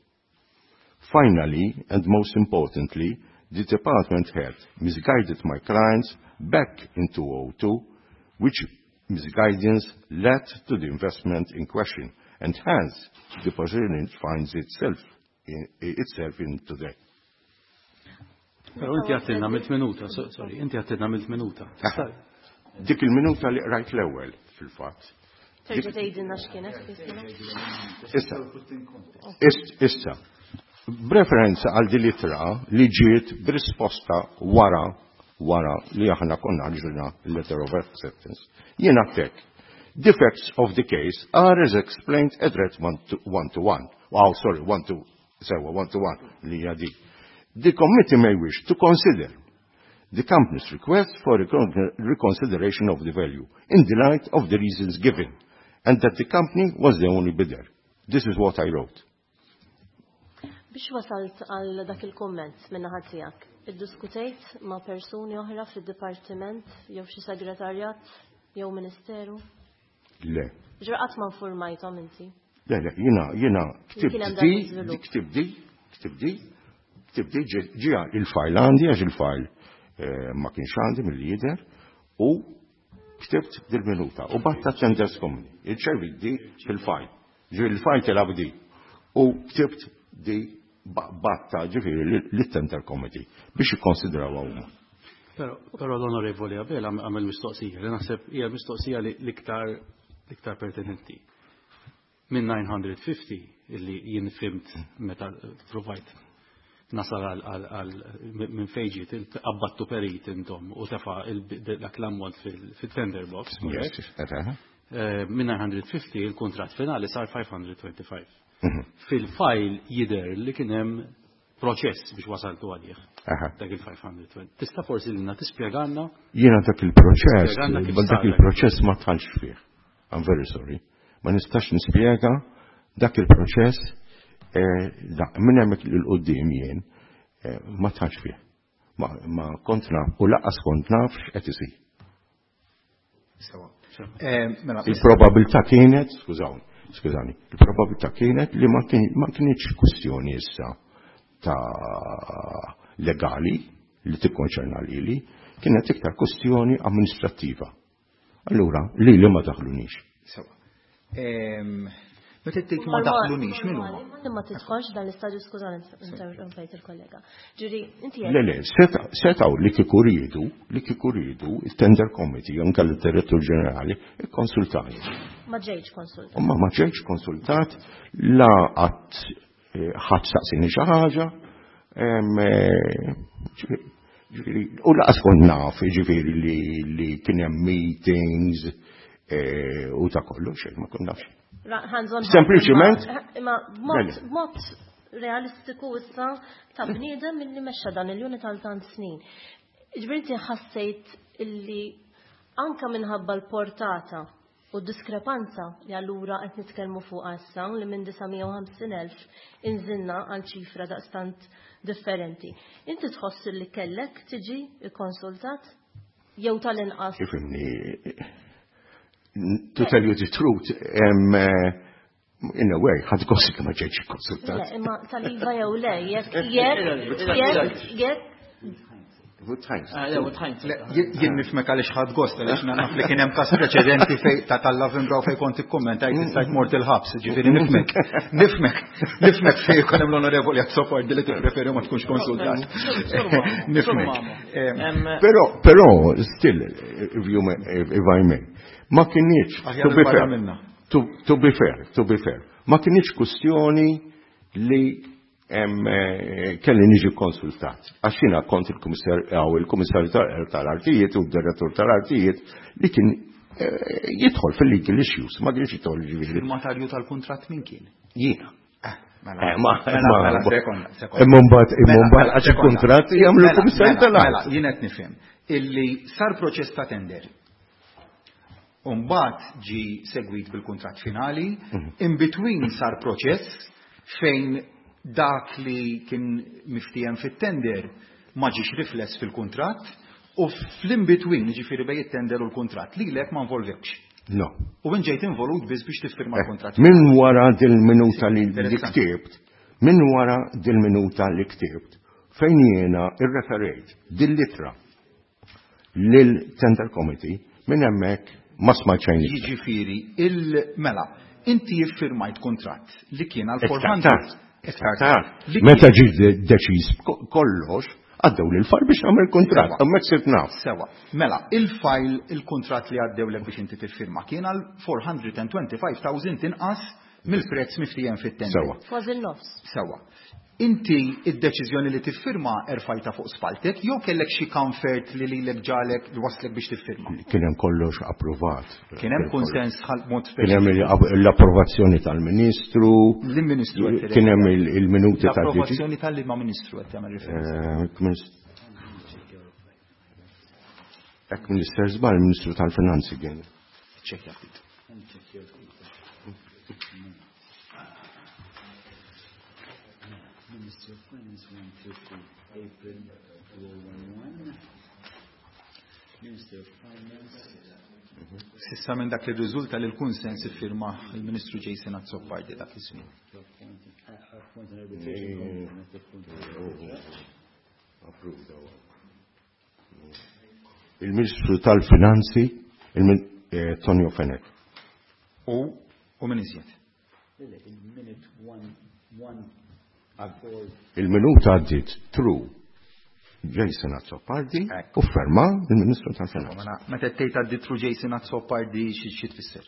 S3: Finally, and most importantly, the department had misguided my clients back in 2002, which misguidance led to the investment in question, and hence the position finds itself in today.
S7: Però inti għattilna milt minuta, sorry, inti għattilna milt minuta.
S3: Dik il-minuta li rajt l-ewwel fil-fatt.
S6: Terġa' tgħidilna x'kienet?
S3: Issa, issa, b'referenza għal din l-ittra li ġiet b'risposta wara li aħna konna ħriġna letter of acceptance. Jiena tek, the facts of the case are as explained at red 1 to 1. Wow, sorry, 1 to, sewa, 1 to 1 li hija di. The committee may wish to consider the company's request for reconsideration of the value in the light of the reasons given, and that the company was the only bidder. This is what I wrote.
S6: Biex wasalt għal dak il-komment minna tiegħek, iddiskutejt ma' persuni oħra fid-dipartiment jew xi segretarjat jew ministeru?
S3: Le.
S6: Ġra qatt ma informajthom inti?
S3: Le, jiena ktibt di, ktibt di, ktibt di, ġija il-fajl għandi, għax il-fajl ma kienx għandi mill-lider, u ktibt dil-minuta, u batta tenders komuni, il-ċervit di fil-fajl, ġi il-fajl telab di, u ktibt di batta ġifieri lit-tender committee biex jikkonsidraw huma.
S7: Però l-onorevoli Abela għamel mistoqsija, li naħseb hija mistoqsija li l-iktar pertinenti. Minn 950 illi jien fimt meta provajt nasal għal minn fejġiet qabbattu perit intom u tefa dak l-ammont fil-tender box. Minn 950 il-kontrat finali sar 525. Fil-fajl jider li kien hemm proċess biex wasaltu għalih. Dak il-520. Tista' forsi lilna tispjegana?
S3: Jiena dak il-proċess, dak il-proċess ma tħallx fih. I'm very sorry. Ma nistax nispjega dak il-proċess minn hemmhekk lil quddiem jien ma tħallx fih. Ma kont naf u lanqas kont naf x'qed isir. Il-probabilità kienet, skużawni, skużani, il-probabilità kienet li ma kienx kwistjoni issa ta' legali li tikkonċerna lili, kienet iktar kwestjoni amministrattiva. Allura, lili ma daħlunix.
S4: Sewa. Meta tgħid ma daħlunix, min huma?
S6: Ma tidħolx dan l-istadju, skużani, interrompejt il-kollega. Ġiri, inti
S3: Le, le, setaw li kieku riedu, li kieku riedu, il-tender committee, jew inkella d-direttur ġenerali, ikkonsultani.
S6: Ma ġejtx konsultat.
S3: Ma ma ġejtx konsultat, la qatt ħadd saqsini xi ħaġa, ġifieri, u laqas kont naf, ġifieri li kien hemm meetings u ta' kollu, xejn ma kont nafx. Sempliċiment.
S6: Imma b'mod realistiku issa ta' bniedem illi mexxa dan il-unit għal tant snin. Ġifieri inti ħassejt illi anka minħabba l-portata u diskrepanza li allura qed nitkellmu fuq issa li minn 950,000 inżilna għal ċifra daqstant differenti. Inti tħoss li kellek tiġi ikkonsultat jew tal-inqas?
S3: Ifhimni, to tell you the truth, in a way, ħadt gost li ma ġejtx konsultat.
S6: Le, imma tal-iva jew le, jekk jekk jekk
S4: Jien nifhmek għaliex ħadt gost għaliex naf li kien hemm każ preċedenti fej ta' tal-Lavenbrow fej kont ikkummentajt stajt mort il-ħabs, ġifieri nifhmek. Nifhmek, nifhmek fej jkun hemm l-onorevoli Azzopardi li tippreferi ma tkunx konsultat. Nifhmek.
S3: Però, però, still, if you may, if I may, ma kinitx, to be fair, to be fair, to be fair, ma kinitx kwestjoni li kelli niġi konsultat. Għax jiena kont il-kummissarju tal-artijiet u d-direttur tal-artijiet li kien jidħol fil-legal issues, ma kienx jidħol ġifieri.
S4: Il-matarju tal-kuntratt min kien?
S3: Jiena.
S4: Mela,
S3: Ma,
S4: mela,
S3: ma,
S4: sekonda, sekonda.
S3: Imma mbagħad, imma
S4: Mela,
S3: mbagħad
S4: mela,
S3: għax
S4: sekonda.
S3: il-kuntratt jagħmlu
S4: Mela,
S3: l-kummissarju
S4: mela,
S3: tal-art.
S4: Mela, jien qed nifhem illi sar proċess ta' tender. Umbagħad ġi segwit bil-kuntratt finali, in between sar proċess fejn dak li kien miftiehem fit-tender ma ġiex rifless fil-kuntratt u fl-in between, ġifieri bejn it-tender u l-kuntratt, lilek ma involvewkx.
S3: No.
S4: U int ġejt involut biss biex tiffirma l-kuntratt.
S3: Min wara dil-minuta li
S4: Interessanti.
S3: ktibt, min wara dil-minuta li ktibt, fejn jiena irreferejt dil-litra lil-tender committee, minn hemmhekk ma smajt xejn iktar.
S4: Jiġifieri, il-mela, inti iffirmajt kuntratt li kien għal
S3: Iktar
S4: 400.
S3: tard.
S4: Iktar
S3: Tard.
S4: Li
S3: Meta
S4: kien-
S3: ġi deċiż kollox, għaddew lil file biex nagħmel kuntratt,
S4: Sewa.
S3: hemmhekk sirt naf.
S4: Sewa. Mela, il-file, il-kuntratt li għaddewlek biex inti tiffirma kien għal 425,000 inqas mill-prezz miftiehem fit-tender.
S3: Sewa.
S6: Kważi n-nofs.
S4: Sewa. Inti id-deċiżjoni li tiffirma erfajta fuq spaltek jew kellek xi comfort li lilek ġalek li waslek biex tiffirma?
S3: Kien hemm kollox approvat.
S4: Kien hemm konsens ħal mod
S3: Kien hemm l-approvazzjoni tal-Ministru,
S4: L-Ministru qed
S3: kien hemm il-minuti tal-DG.
S4: L-approvazzjoni tal-liema Ministru qed tagħmel referenza.
S3: Ek Minister żball, Ministru tal-Finanzi kien.
S4: Ċekkja ftit.
S5: Minister of Finance 130 April 2011. Minister of Finance.
S4: S'issa minn dak li riżulta li l-kunsens iffirma il-Ministru Jason Azzopardi dak iż-żmien.
S5: Appoint an arbitration committee, not appoint
S3: Approved Il-Ministru tal-Finanzi, Tonio Fenech.
S4: U min iżjed?
S5: Il-minute 1 1 4
S3: Il-minuta għaddit through Jason Azzopardi
S4: Ekk.
S3: u ferma il-Ministru tal-Finanzi.
S4: Mela, meta tgħid għaddit through Jason Azzopardi xi tfisser?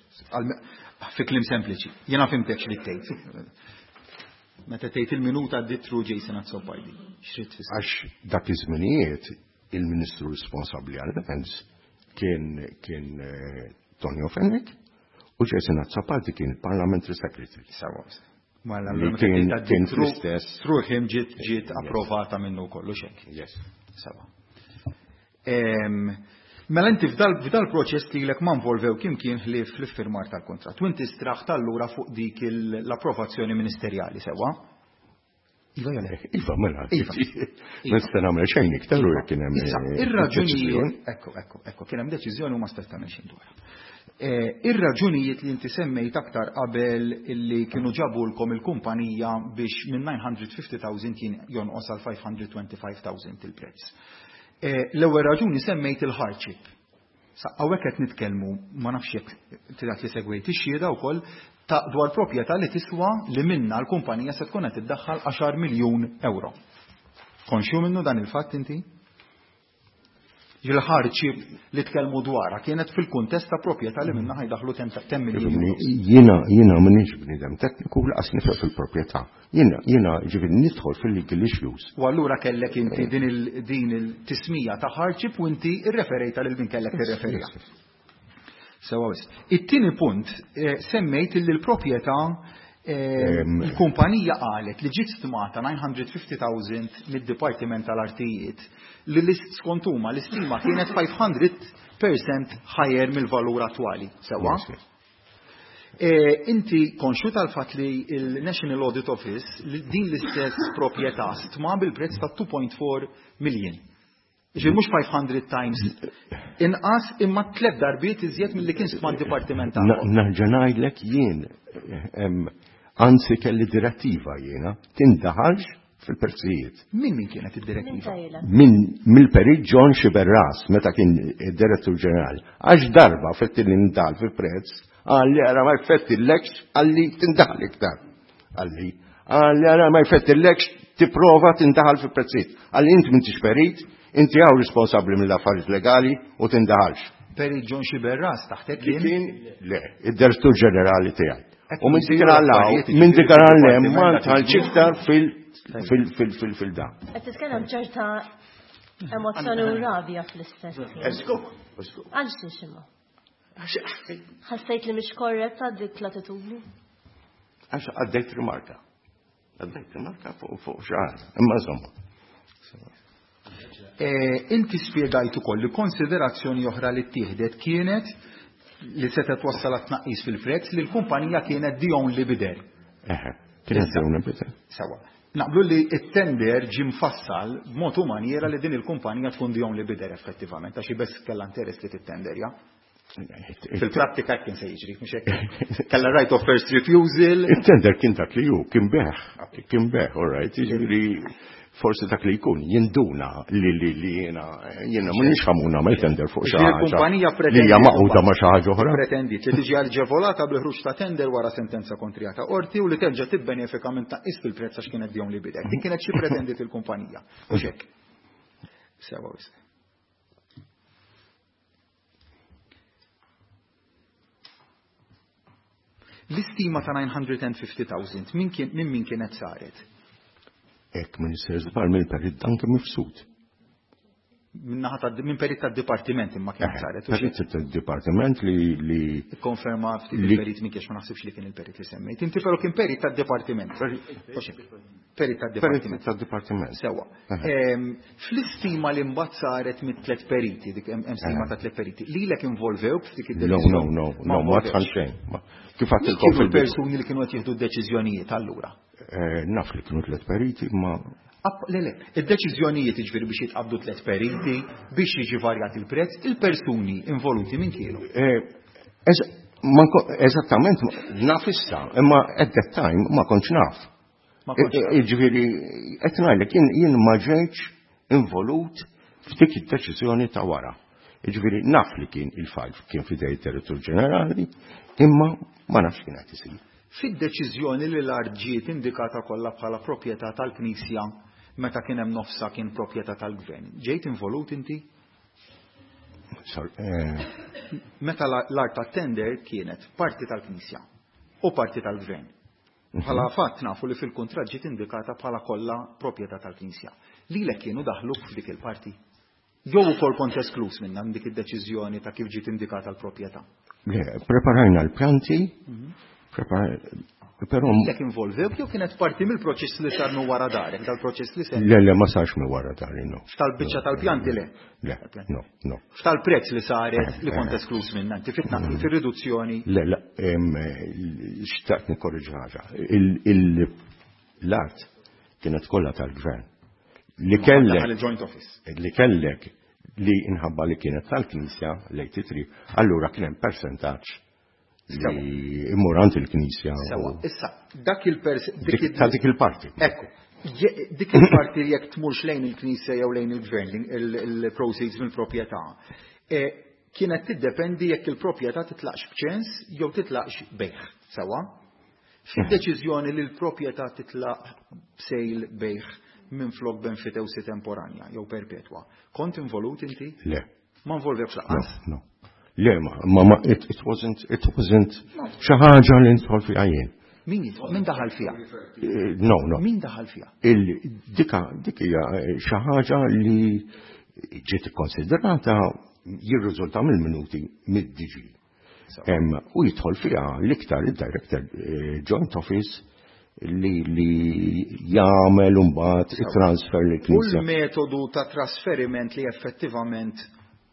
S4: Fi kliem sempliċi. Jiena fhimtek xi tgħid. Meta tgħid il-minuta għaddit through Jason Azzopardi, xi tfisser?
S3: Għax dak iż-żminijiet il-Ministru responsabbli għal-Defense kien Tonio Fenech u Jason Azzopardi kien Parliamentary Secretary.
S4: Sewa. Mela,
S3: Li
S4: meta tgħid għaddit
S3: kien fl-istess.
S4: through him ġiet approvata minnu kollu xek.
S3: Yes.
S4: Sewa. Mela inti f'dal proċess li lek ma involvew kim kien ħlief fl-iffirmar tal-kuntratt. U inti straħt allura fuq dik l-approvazzjoni ministerjali, sewa? Iva jew le?
S3: Iva, mela.
S4: Iva.
S3: Ma nista' nagħmel xejn iktar u jekk kien hemm.
S4: Issa, ir-raġunijiet, ekku, ekku, ekku, kien hemm deċiżjoni u ma stajt tagħmel xejn dwarha. Ir-raġunijiet li inti semmejt aktar qabel illi kienu ġabulkom il-kumpanija biex minn 950,000 kien jonqos għal 525,000 il-prezz. L-ewwel raġuni semmejt il-hardship. Sa hawnhekk qed nitkellmu, ma nafx jekk trid li segwejt ix-xhieda wkoll, ta' dwar proprjetà li tiswa li minnha l-kumpanija se tkun qed iddaħħal 10 miljun euro. Konxju minnu dan il-fatt inti? Il-hardship li tkellmu dwarha kienet fil-kuntest ta' proprjetà li minnha ħajdaħlu 10 miljun euro.
S3: Jiena jiena m'iniex bniedem tekniku laqas nifhem fil-proprjetà. Jiena jiena ġifieri nidħol fil-legal issues.
S4: U allura kellek inti din il din il-tismija ta' hardship u inti rreferejtha lil min kellek tirreferiha. Sewa wisq. It-tieni punt semmejt illi l-proprjetà il-kumpanija qalet li ġiet stmata 950,000 mid-Dipartiment tal-Artijiet li skont huma l-istima kienet 500% higher mill-valur attwali. Sewa? Inti konxju tal-fatt li l-National Audit Office din l-istess proprjetà stma bil-prezz ta' 2.4 million. Ġifieri mhux 500 times inqas imma tliet darbiet iżjed milli kien stma d-dipartiment tagħkom.
S3: Nerġa' ngħidlek jien anzi kelli direttiva jiena tindaħalx fil-prezzijiet.
S4: Min min kienet id-direttiva?
S3: Min mill-Perit John Sciberras meta kien id-Direttur Ġenerali. Għax darba fetti li ndal fil-prezz, qalli ara ma jfettillekx, qalli tindaħal iktar. Qalli, qalli ara ma jfettillekx tipprova tindaħal fil-prezzijiet. Qalli inti m'intix perit, inti hawn responsabbli mill-affarijiet legali u tindaħalx.
S4: Perit John Sciberras taħtek kien?
S3: Kien, le, id-Direttur Ġenerali tiegħi. U minn dik għal-law, minn dik għal-lem, ma ntalx iktar fil-da.
S6: Qed titkellem ċerta emozzjoni u rabja fl-istess ħin.
S3: Eżgu, eżgu.
S6: Għal xiex imma? Ħassejt li mhix korretta dik l-attitudni?
S3: Għax għaddejt rimarka. Għaddejt rimarka fuq xi ħaġa. Imma insomma.
S4: Inti spjegajt ukoll li konsiderazzjoni oħra li ttieħdet kienet li setgħet twassal għat-tnaqqis fil-prezz li l-kumpanija kienet the only bidder.
S3: Eħe, kienet the only bidder.
S4: Sewa. Naqblu li t-tender ġie mfassal b'mod u manjiera li din il-kumpanija tkun the only bidder effettivament, għax hi biss kellha interess li tittenderja. Fil-prattika hekk kien se jiġri, mhux hekk. Kellha right of first refusal.
S3: Il-tender kien dak li hu, kien beħ, kien beħ, all right, jiġifieri forsi dak li jkun jinduna li li li jiena jiena m'iniex ħamu nagħmel tender fuq xi ħaġa.
S4: Il-kumpanija
S3: li hija maquda ma' xi ħaġa oħra.
S4: Pretendiet li tiġi aġevolata bil-ħruġ ta' tender wara sentenza kontrija ta' qorti u li terġa' tibbenefika minn tnaqqis fil-prezz għax kienet the only bidder. Din kienet xi pretendiet il-kumpanija. Mhux hekk. Sewa wisq. L-istima ta' 950,000 minn kien minn min kienet saret?
S3: Hekk minn sir żball minn perit anke mifsud.
S4: Min-naħa ta' minn perit tad-dipartiment imma kienet saret.
S3: Perit tad-dipartiment li li
S4: Ikkonferma ftit il-perit minn kiex ma naħsibx li kien il-perit li semmejt. Inti però kien perit tad-dipartiment. Perit tad-dipartiment.
S3: Perit tad-dipartiment.
S4: Sewa. Fl-istima li mbagħad saret mit-tliet periti, dik hemm stima ta' tliet periti, lilek involvewk f'dik
S3: id-deċiżjoni? No, no, no, no, ma tħall xejn. Kif għedtilkom
S4: fil persuni li kienu qed jieħdu d-deċiżjonijiet allura?
S3: Naf li kienu tliet periti, ma
S4: Le, le, id-deċiżjonijiet jiġifieri biex jitqabdu tliet periti, biex jiġi varjat il-prezz, il-persuni involuti min kienu?
S3: Eżattament, naf issa, imma at that time ma kontx naf. Jiġifieri, qed ngħidlek, jien ma ġejtx involut f'dik id-deċiżjoni ta' wara. Jiġifieri, naf li kien il-fajl kien f'idej id-Direttur Ġenerali, imma ma nafx kien qed isir.
S4: Fid-deċiżjoni li l-art ġiet indikata kollha bħala proprjetà tal-Knisja meta kien hemm nofsha kien proprjetà tal-Gvern, ġejt involut inti? Meta l-art tat-tender kienet parti tal-Knisja u parti tal-Gvern. Bħala fatt nafu li fil-kuntratt ġiet indikata bħala kollha proprjetà tal-Knisja. Lilek kienu daħluk f'dik il-parti? Jew ukoll kont eskluż minnha minn dik id-deċiżjoni ta' kif ġiet indikata l-proprjetà?
S3: Le, preparajna l-pjanti, però
S4: Lilek involvewk jew kienet parti mill-proċess li sar minn wara darek, dal-proċess li semmi?
S3: Le, le, ma sarx minn wara dari, no.
S4: F'tal-biċċa tal-pjanti le?
S3: Le, no, no.
S4: F'tal-prezz li saret li kont eskluż minnha, inti fit-tnaqqis, fir-riduzzjoni?
S3: Le, le, xtaqt nikkorreġi ħaġa. L-art Kienet kollha tal-gvern. Li kellek
S4: il-joint office.
S3: Li kellek li inħabba li kienet tal-Knisja l-83, allura kien hemm percentaġġ li immur għand il-Knisja.
S4: Sewa, issa dak il-pers
S3: ta' dik il-parti.
S4: Ekku, dik il-parti li jekk tmurx lejn il-Knisja jew lejn il-gvern, il-proceeds mill-proprjetà, kienet tiddependi jekk il-proprjetà titlaqx b'ċens jew titlaqx bejgħ. Sewa? Fid-deċiżjoni li l-proprjetà titlaq b'sale bejgħ minn flok b'enfitewsi temporanja jew perpetwa. Kont involut inti?
S3: Le.
S4: Ma involvekx lanqas?
S3: No, no. Le, ma, it wasn't xi ħaġa li nidħol fiha jien.
S4: Min jidħol? Min daħal fiha?
S3: No.
S4: Min daħal fiha?
S3: Dik hija xi ħaġa li ġiet ikkonsiderata, jirriżulta mill-minuti, mid-DG. U jidħol fiha l-iktar il-Director Joint Office li jagħmel mbagħad it-transfer li
S4: U
S3: knisja.
S4: l-metodu ta' trasferiment li effettivament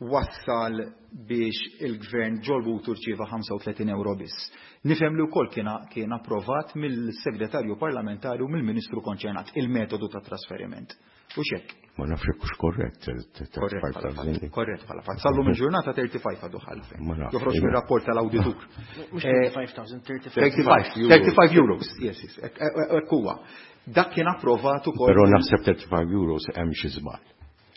S4: wassal biex il-gvern ġol-but rċieva 35 euro biss. Nifhem li wkoll kien approvat mill-segretarju parlamentari u mill-ministru konċernat il-metodu ta' trasferiment. U xek?
S3: Ma nafx hekk hux korrett.
S4: Korrett bħala fatt, korrett bħala fatt. Sallum il-ġurnata 35 għadu ħalfe.
S3: Ma nafx.
S4: Joħroġ mir-rapport tal-awditur.
S8: Mhux 35,000, 35.
S4: 35, 35 euros, yes, hekk huwa. Dak kien approvat ukoll.
S3: Però naħseb 35 euros hemm xi żball.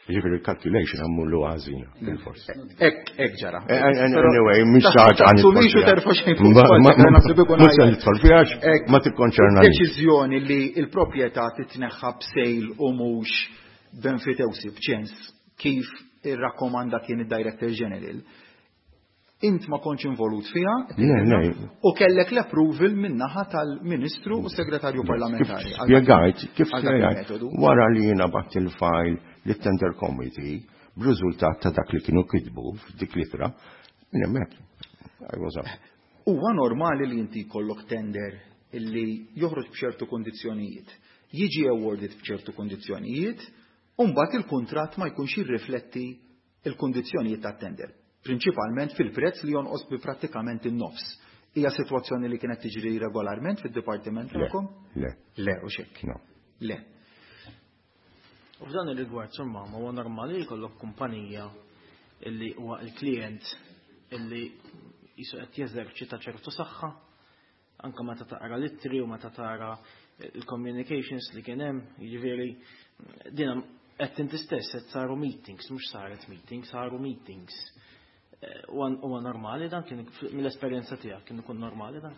S3: Ġifieri il-calculation għamlu ħażina bil-fors.
S4: Hekk ġara.
S3: Anyway, mhix xi ħaġa għan
S4: Tassumix u terfa' xejn fuq spallek, naħseb ikun
S3: Mhux se
S4: aħjar.
S3: nidħol fiha għax ma tikkonċerna.
S4: Deċiżjoni li il-proprjetà titneħħa b'sale u mhux b'enfitewsi, b'ċens, kif irrakkomanda kien id-Director General. Int ma kontx involut fiha
S3: Le.
S4: u kellek l-approval min-naħa tal-Ministru u Segretarju Parlamentari.
S3: Kif spjegajt, kif
S4: Għal dak
S3: spjegajt,
S4: il-metodu.
S3: wara li jiena bgħatt il-file lit-tender committee, b'riżultat ta' dak li kienu kitbu f'dik l-ittra, minn hemmhekk. I was out.
S4: Huwa normali li inti jkollok tender illi joħroġ b'ċertu kondizzjonijiet, jiġi awarded b'ċertu kondizzjonijiet, u mbagħad il-kuntratt ma jkunx jirrifletti il-kondizzjonijiet tat-tender, prinċipalment fil-prezz li jonqos bi prattikament in-nofs. Hija sitwazzjoni li kienet tiġri regolarment fid-dipartiment
S3: Le,
S4: tagħkom?
S3: le.
S4: Le, u xek.
S3: No.
S4: Le.
S8: U f'dan ir-rigward, insomma, ma huwa normali li jkollok kumpanija illi huwa il-klient illi jisu qed jeżerċita ċertu saħħa, anka meta taqra l-ittri u meta tara il-communications li kien hemm, jiġifieri din qed inti stess qed saru meetings, mhux saret meetings, saru meetings. Huwa normali dan kien mill-esperjenza tiegħek kien ikun normali dan?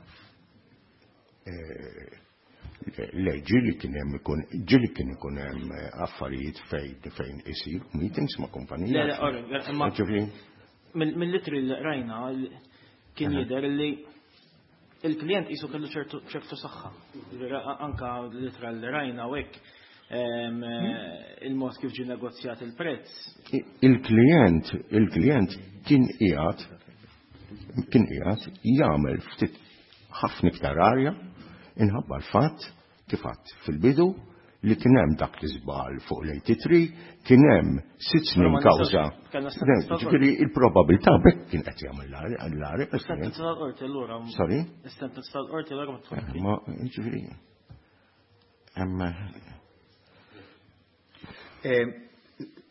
S3: Le, ġieli kien hemm ikun, ġieli kien ikun hemm affarijiet fejn isir meetings ma' kumpanija.
S8: Le, le, imma
S3: Ġifieri,
S8: mill-ittri li rajna kien jidher li il-klient jisu kellu ċertu saħħa. Ġifieri, anka l-ittra li rajna u hekk il-mod kif ġie negozjat il-prezz.
S3: Il-klient kien qiegħed jagħmel ftit ħafna iktar arja inħabba l-fatt kif għedt fil-bidu li kien hemm dak l-iżbal fuq l-83, kien hemm 6 snin
S8: Però ma
S3: kawża.
S8: nistax- kellna sentence tal-qorti.
S3: Ġifieri il-probabilità bekk kien qed jagħmel l-arja.
S8: Is-sentence tal-qorti allura.
S3: Sorry?
S8: Is-sentence tal-qorti allura ma tfakki.
S3: Ma ġifieri hemm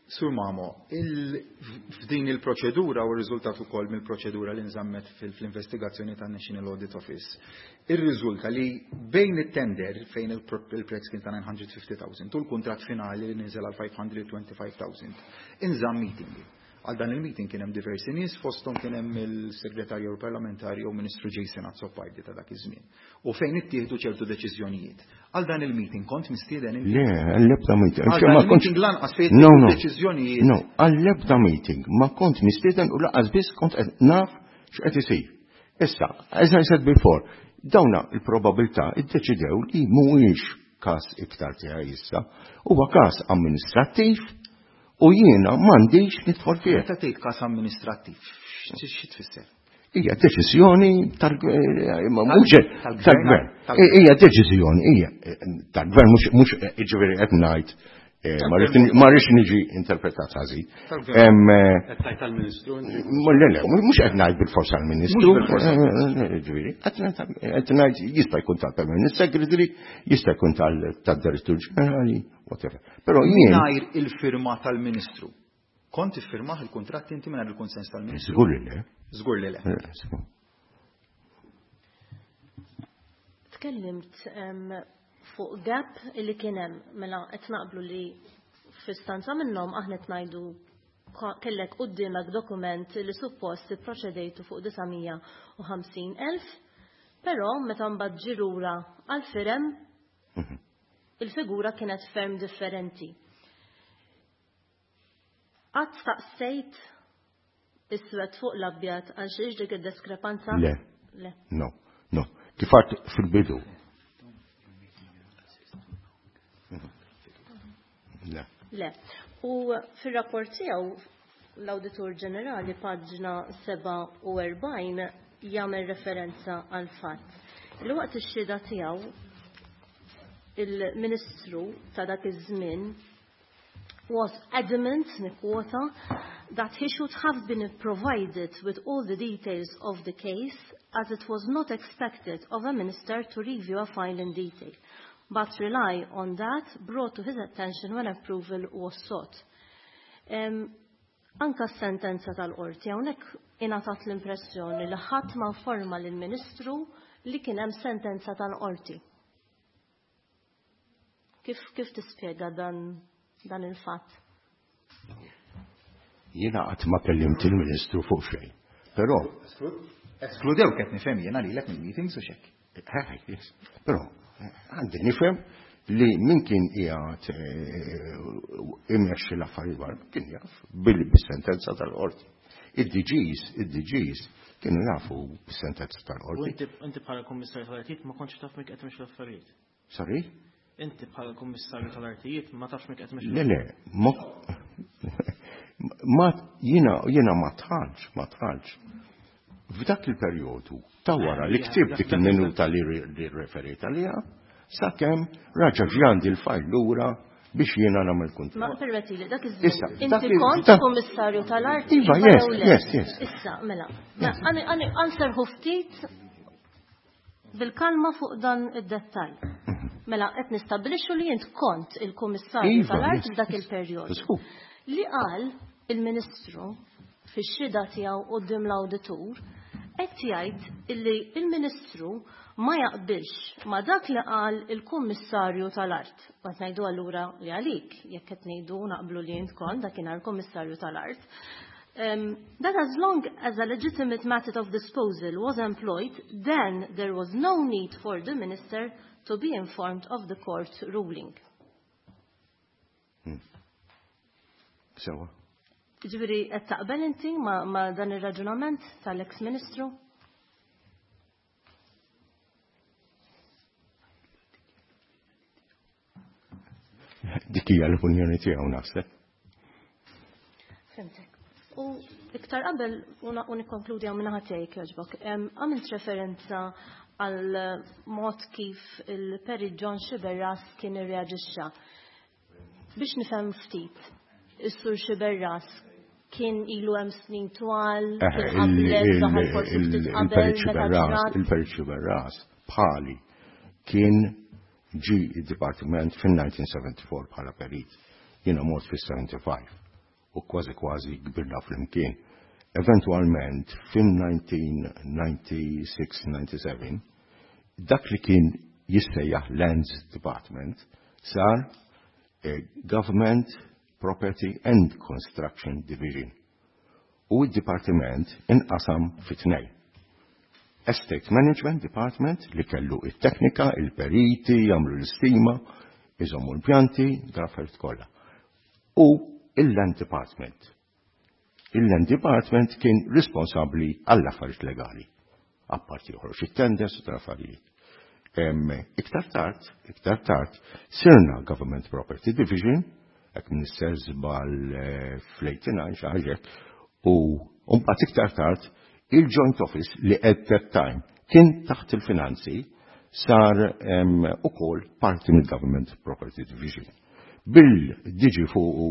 S4: Sur Mamo, f'din il-proċedura u r-riżultat ukoll mill-proċedura li nżammet fil-investigazzjoni tan National Audit Office, ir-riżulta li bejn it-tender fejn il-prezz kien ta' 950,000 u l-kuntratt finali li niżel għal 525,000, inżamm meeting. Għal dan il-meeting kien hemm diversi nies, fosthom kien hemm il-segretarju parlamentari u Ministru Jason Azzopardi ta' dak iż-żmien. U fejn ittieħdu ċertu deċiżjonijiet. Għal dan il-meeting kont mistieden inti?
S3: Le, għall-ebda meeting.
S4: Għal
S3: Ma
S4: dan
S3: kontx-
S4: il-meeting lanqas fejn
S3: No.
S4: deċiżjonijiet.
S3: No, għall-ebda meeting ma kont mistieden u lanqas biss kont qed naf x'qed isir. Issa, as I said before, dawna il-probabilità iddeċidew li mhuwiex każ iktar tiegħi issa, huwa każ amministrattiv u jiena m'għandix nidħol fih.
S4: Meta tgħid każ amministrattiv, xi tfisser?
S3: Hija deċiżjoni mhux
S4: Tal-gvern?
S3: tal-gvern. Hija deċiżjoni, hija tal-gvern, mhux ġifieri qed ngħid. Ma rridx niġi interpretat ħażin.
S7: Qed tgħid tal-Ministru?
S3: Le, le, mhux qed ngħid bil-forsa għall-Ministru. Ġifieri, qed ngħid jista' jkun tal-Permanent Secretary, jista' jkun tad-Direttur Ġenerali, whatever. Però jien.
S4: Mingħajr il-firma tal-Ministru. Kont iffirmah il-kuntratt inti mingħajr il-kunsens tal-Ministru?
S3: Żgur li le.
S4: Żgur li le.
S6: Tkellimt fuq gap li kien hemm, mela qed naqblu li f'istanza minnhom aħna qed ngħidu kellek quddiemek dokument li suppost ipproċedejtu fuq 950,000, però meta mbagħad ġie lura għall-firem il-figura kienet ferm differenti. Qatt staqsejt iswed fuq l-abjad għal xiex dik id-diskrepanza?
S3: Le.
S6: Le.
S3: No, no. Kif għadt fil-bidu. Le.
S6: Le. U fil-rapport tiegħu l-Awditur Ġenerali paġna 47 jagħmel referenza għal fatt li waqt ix-xhieda tiegħu il-Ministru ta' dak iż-żmien was adamant, nikkwota, that he should have been provided with all the details of the case as it was not expected of a minister to review a file in detail, but rely on that brought to his attention when approval was sought. Anka s-sentenza tal-qorti hawnhekk ingħatat l-impressjoni li ħadd ma informa lill-Ministru li kien hemm sentenza tal-qorti. Kif tispjega dan il-fatt?
S3: Jiena qatt ma kellimt il-Ministru fuq xejn. Però
S4: Eskludew qed nifhem jiena lilek mill-meetings u xek.
S3: Yes. Però għandi nifhem li min kien qiegħed imexxi l-affarijiet barra kien jaf bis-sentenza tal-qorti. Id-DGs kienu jafu bis-sentenza tal-qorti.
S8: U inti bħala kummissarju tal-artijiet ma kontx taf min qed imexxi l-affarijiet?
S3: Sorry?
S8: Inti bħala kummissarju tal-artijiet ma tafx min qed imexxi
S3: Le, le, ma jiena ma tħallx, ma tħallx. F'dak il-perjodu ta' wara li ktibt dik il-minuta li referit għaliha, sakemm raġa' ġie għandi l-fajl lura biex jiena nagħmel kuntratt.
S6: Ma permetti li dak iż-żmien
S3: Issa,
S6: inti
S3: dak il-
S6: kont
S3: dak-
S6: kummissarju tal-arti,
S3: Iva,
S6: iva
S3: yes,
S6: jew le?
S3: yes, yes.
S6: Issa, mela. Għanserħu ftit bil-kalma fuq dan id-dettall. Mela, qed nistabbilixxu li int kont il-kummissarju
S3: Iva,
S6: tal-art
S3: yes,
S6: f'dak
S3: yes.
S6: il-perjodu.
S3: Żgur.
S6: Li qal il-Ministru fix-xhieda tiegħu quddiem l-awditur qed jgħid illi il-Ministru ma jaqbilx ma dak li qal il-Kummissarju tal-Art. Qed ngħidu allura li għalik, jekk qed ngħidu naqblu li int kont dakinhar Kummissarju tal-Art. That as long as a legitimate method of disposal was employed, then there was no need for the minister to be informed of the court ruling.
S3: Sewa.
S6: Ġifieri, qed taqbel inti ma dan ir-raġunament tal-ex-ministru?
S3: Dik hija l-opinjoni tiegħu naħseb.
S6: Fimtek. U iktar qabel u nikkonkludi hawn minnaħa tiegħi jogħġbok. Għamilt referenza għal mod kif il-Perit John Sciberras kien irreaġixxa. Biex nifhem ftit, is-Sur Sciberras kien ilu hemm snin twal, kien qablek, daħal forsi ftit qabel,
S3: Il-Perit
S6: meta
S3: Sciberras,
S6: ġrat.
S3: il-Perit Sciberras bħali kien ġi id-dipartiment fin-1974 bħala perit. Jiena mort fis-75 u kważi kważi kbirna flimkien. Eventualment fin-1996-97 dak li kien jissejjaħ Lands Department sar Government Property and Construction Division. U id-dipartiment inqasam fi tnejn. Estate Management Department li kellu it-teknika, il-periti, jagħmlu l-istima, iżommu l-pjanti, dal-affarijiet kollha. U il-Land Department. Il-Land Department kien responsabbli għall-affarijiet legali. Apparti joħroġ it-tenders u tal-affarijiet. Iktar tard, iktar tard, sirna Government Property Division, hekk minister żball fl-89 xi ħaġa, u mbagħad iktar tard il-Joint Office li at that time kien taħt il-finanzi sar ukoll parti mill-Government Property Division. Bil-DG fuqu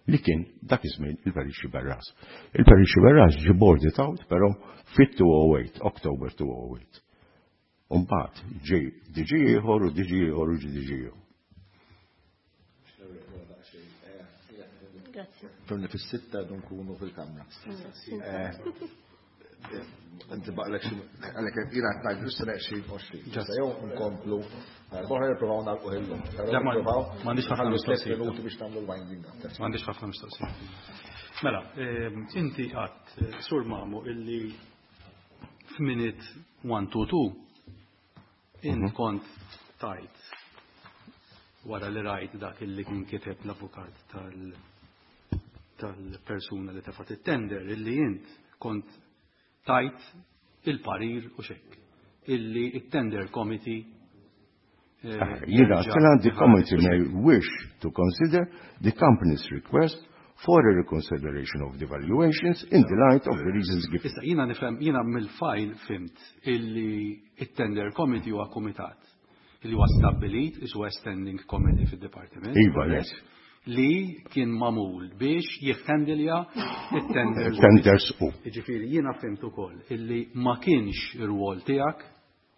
S3: li kien dak iż-żmien il-Perit Sciberras. Il-Perit Sciberras ġie boarded out però fit-208, October 208. U mbagħad ġie DG ieħor u DG ieħor u ġie DG ieħor.
S6: Grazzi.
S2: Fimni fis-sitta dun nkunu fil-kamra. Inti baqlek xi għalhekk jiena qed ngħid issa neqxin 20. Issa jew nkomplu boħra nippruvaw nagħlqu illum.
S7: Le, m'għandix ħafna
S2: tliet
S7: mistoqsijiet.
S2: minuti biex tagħmlu l-winding up.
S7: M'għandix ħafna mistoqsijiet. Mela, inti għadt Sur Mamo illi f'minute 122 int kont tajt wara li rajt dak illi kien kiteb l-avukat tal-persuna li tefat it-tender illi int kont tajt il-parir u xek illi it-tender committee
S3: Jiena, the committee may wish to consider the company's request for a reconsideration of the valuations in the light of the reasons given.
S7: Issa, jiena nifhem, jiena mill-file fhimt illi it-tender committee huwa kumitat illi huwa stabbilit, isu standing committee fid-dipartiment.
S3: Iva, yes.
S7: Li kien magħmul biex jihhandilja it-tenders.
S3: Tenders u.
S7: Jiġifieri jiena fhimt ukoll illi ma kienx ir-rwol tiegħek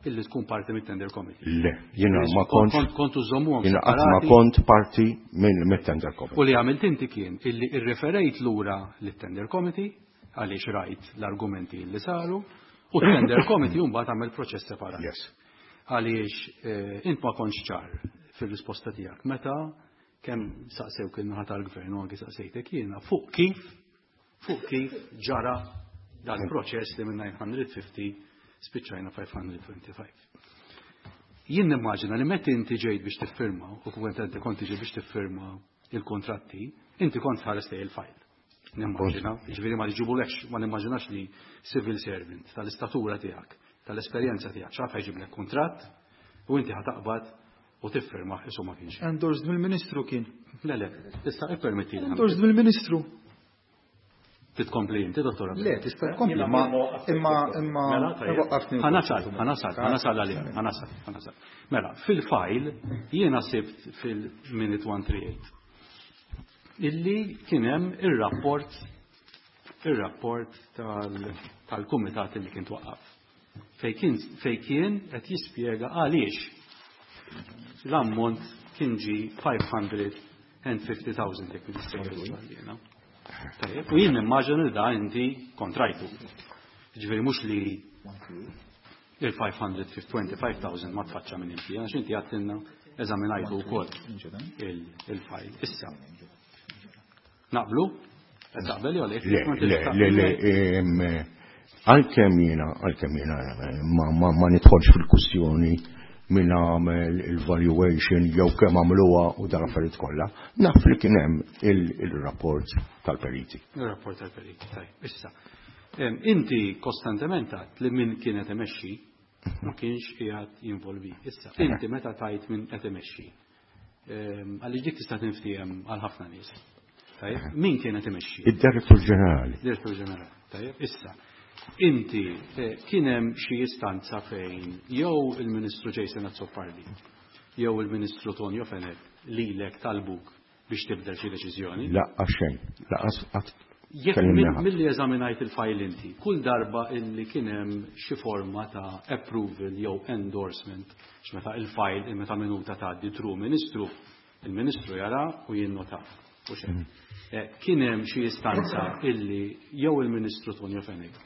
S7: illi tkun parti mit-tender committee.
S3: Le, jiena ma kontx.
S7: Kontu żommuhom
S3: Jiena qatt ma
S7: separati.
S3: kont parti minn mit-tender committee.
S7: U li għamilt inti kien illi irreferejt lura lit-tender committee għaliex rajt l-argumenti li saru u t-tender committee mbagħad għamel proċess separat.
S3: Yes.
S7: Għaliex int ma kontx ċar fir-risposta tiegħek meta kemm saqsew kien naħa tal-gvern u anki saqsejtek jiena fuq kif ġara dal-proċess li minn 950 spiċċajna 525. Jien nimmaġina li meta inti ġejt biex tiffirma u kont inti kont ġejt biex tiffirma il-kontratti, inti kont ħares lejn il-file. Nimmaġina, ġifieri ma ġibulekx, ma nimmaġinax li civil servant tal-istatura tiegħek, tal-esperjenza tiegħek, x'għad ħajġiblek kuntratt u inti ħataqbad u tiffirma isu ma kienx.
S4: Endorsed mill-Ministru kien.
S7: Le, le, tista' ippermettili.
S4: Endorsed mill-Ministru.
S7: Titkompli inti, dottora?
S4: Le, tista' tkompli, ma imma imma
S7: Mela, tajjeb.
S4: waqqafni.
S7: Ħa nasal, ħa nasal, ħa nasal għalih, ħa nasal, ħa nasal. Mela, fil-file jiena sibt fil-minute 138 illi kien hemm ir-rapport tal-kumitat illi kien twaqqaf. Fej kien qed jispjega għaliex l-ammont kien ġi 550,000 jekk nistgħu. Tajjeb, u jien nimmaġina li da inti kontrajtu. Ġifieri mhux li il-525,000 ma tfaċċa minn inti, għax inti għattinna eżaminajtu wkoll il-file. Issa. Naqblu? Qed taqbel jew le?
S3: Le, le, le, le, għalkemm jiena, għalkemm jiena ma nidħolx fil-kwistjoni min għamel il-valuation jew kemm għamluha u dan affarijiet kollha, naf li kien hemm il-rapport tal-periti.
S7: Il-rapport tal-periti, tajjeb. Issa, inti kostantement għedt li min kienet imexxi ma kienx qiegħed jinvolvi. Issa, inti meta tajt min qed imexxi, għaliex dik tista' tinftiehem għal ħafna nies. Tajjeb, min kienet imexxi?
S3: Id-Direttur Ġenerali.
S7: Direttur Ġenerali, tajjeb. Issa, inti kien hemm xi istanza fejn jew il-Ministru Jason Azzopardi jew il-Ministru Tonio Fenech lilek talbuk biex tibdel xi deċiżjoni?
S3: La, xejn. Lanqas qatt
S7: Jekk
S3: kellimna ħadd.
S7: milli eżaminajt il-file inti, kull darba illi kien hemm xi forma ta' approval jew endorsement, x'meta il-file meta minuta tgħaddi through Ministru, il-Ministru jara u jinnota. U xejn. Kien hemm xi istanza illi jew il-Ministru Tonio Fenech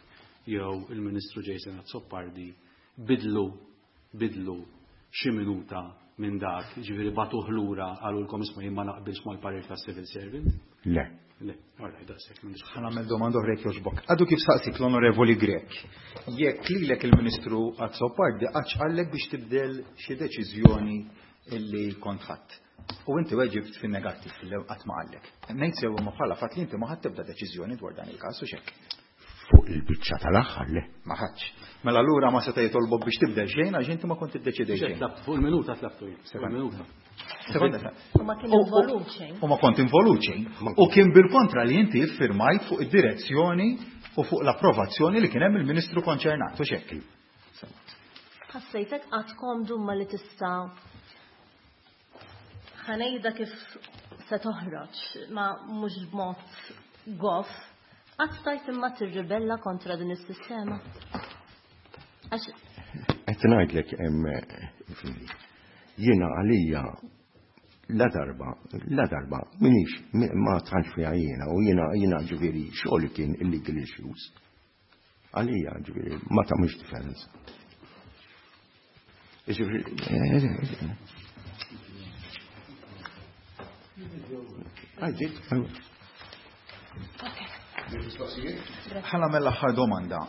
S7: jew il-Ministru Jason Azzopardi bidlu xi minuta minn dak, ġifieri bagħtuh lura qalulkom isma' jien ma naqbilx mal-parir ta' civil servant?
S3: Le.
S7: Le, all right, daqshekk m'għandix.
S4: Ħa nagħmel domanda oħra jekk jogħġbok. Għadu kif saqsik l-Onorevoli Grech. Jekk lilek il-Ministru Azzopardi qattx qallek biex tibdel xi deċiżjoni illi kont ħadd. U inti weġibt fin-negattiv li qatt ma qallek. Ngħid sew imma bħala fatt li inti ma ħadd tibda deċiżjoni dwar dan il-każ u x'hekk.
S3: Fuq il-biċċa tal-aħħar le.
S4: Ma ħadx. Mela allura ma seta' jitolbok biex tibdel xejn għax inti ma kont iddeċidejt
S7: Xejn,
S4: xejn.
S7: tlabtu fuq il-minuta tlabtu jien. Fuq il-minuta.
S4: Sekonda.
S6: U ma kien involut xejn.
S4: U ma kont involut xejn. U kien bil-kontra li inti iffirmajt fuq id-direzzjoni u fuq l-approvazzjoni li kien hemm il-Ministru konċernat u x'hekk.
S6: Ħassejtek qatt komdu ma li tista' ħa ngħidha kif se toħroġ, ma mhux b'mod goff, qatt stajt imma tirribella kontra din is-sistema? Għax
S3: Qed ngħidlek hemm jiena għalija la darba, minix, ma tħanx fiha jiena u jiena ġifieri xogħol kien illegal issues. Għalija ġifieri ma tagħmilx differenza. Ġifieri, Għajdit,
S4: Ħa nagħmel l-aħħar domanda.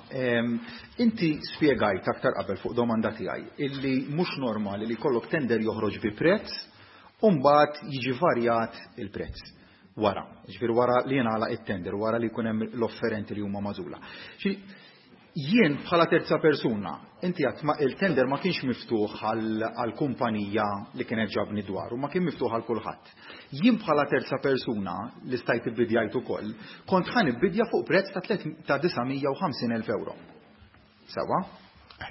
S4: Inti spjegajt aktar qabel fuq domanda tiegħi illi mhux normali li jkollok tender joħroġ bi prezz u mbagħad jiġi varjat il-prezz wara. Ġifieri wara li jingħalaq it-tender, wara li jkun hemm l-offerenti li huma magħżula. Jien bħala terza persuna, inti għat il-tender ma kienx miftuħ għal kumpanija li kienet ġabni dwaru, ma kien miftuħ għal kulħadd. Jien bħala terza persuna li stajt ibbidjajt ukoll, kont ħa nibbidja fuq prezz ta' 950,000 euro. Sewwa?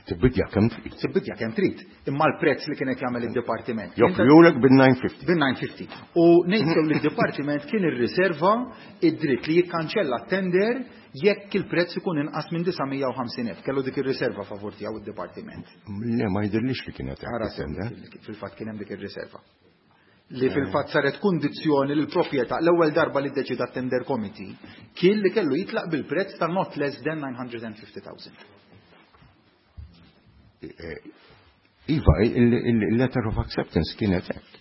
S3: Tibbidja kemm trid.
S4: Tibbidja kemm trid. Imma l-prezz li kienet jagħmel id-dipartiment.
S3: Joffrulek bil-950.
S4: Bil-950. U ngħid li d-dipartiment kien irriserva id-dritt li jikkanċella t-tender jekk il-prezz ikun inqas minn 950,000. Kellu dik ir-riserva favur tiegħu id-dipartiment.
S3: Le, ma jidhirlix li kienet
S4: Ara fil-fatt kien hemm dik ir-riserva. Li fil-fatt saret kundizzjoni li l-proprjetà l-ewwel darba li ddeċida tender committee kien li kellu jitlaq bil-prezz ta' not less than 950,000.
S3: Iva, il-letter of acceptance kienet hekk.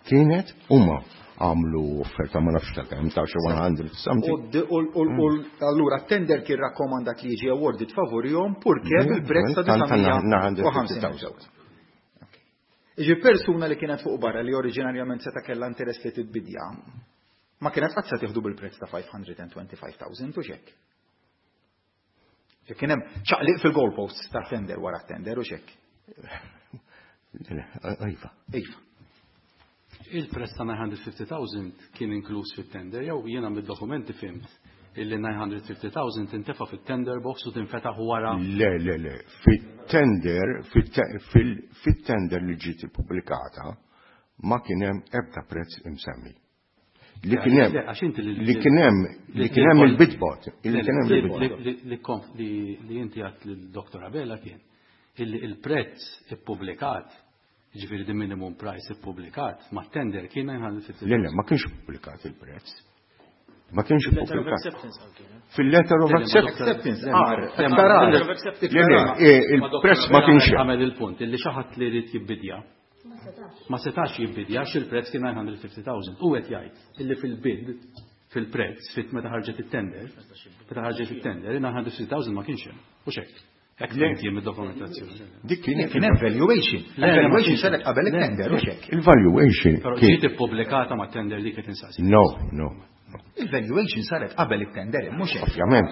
S3: Kienet huma għamlu offerta ma nafx ta' kemm ta' xi 100 something.
S4: U allura tender kien rakkomandat li jiġi awarded favorihom purché bil-prezz ta' 950,000. Iġi persuna li kienet fuq barra li oriġinarjament seta' kellha interess li tibbidja, ma kienet qatt se tieħdu bil-prezz ta' 525,000 u xek. Kien hemm ċaqliq fil-goalposts ta' tender wara tender u xek.
S3: Iva.
S4: Iva.
S7: Il-prezz ta' 950,000 kien inkluż fit-tender, jew jiena mid-dokumenti fhimt illi 950,000 tintefa fit-tender box u tinfetaħ wara.
S3: Le, le, le. Fit-tender, fit-tender li ġiet ippubblikata ma kien hemm ebda prezz imsemmi. Li kien hemm li kien hemm li kien hemm il-bid bond, li kien hemm il-bid bond.
S7: Li inti għedt lil-Dr. Abela kien illi il-prezz ippubblikat, ġifieri di minimum price ippubblikat, ma tender kien 950.
S3: Le, le, ma kienx ippubblikat il-prezz. Ma kienx ippubblikat. Fil-letter of acceptance. Il-prezz ma kienx.
S7: Għamel il-punt, illi xi ħadd li jrid jibbidja. Ma setax jibbidja għax il-prezz kien 950,000. U qed jgħid illi fil-bid, fil-prezz, fit meta ħarġet it-tender, meta ħarġet it-tender, 950,000 ma kienx hemm. U xek. Hekk jien mid-dokumentazzjoni.
S3: Dik kien
S4: Kien hemm valuation. Valuation saret qabel it-tender u xek.
S3: Il-valuation.
S7: Però ġiet ippubblikata ma' tender li kien insaqsi.
S3: No, no.
S4: Il-valuation saret qabel it-tender, mhux hekk.
S3: Ovvjament,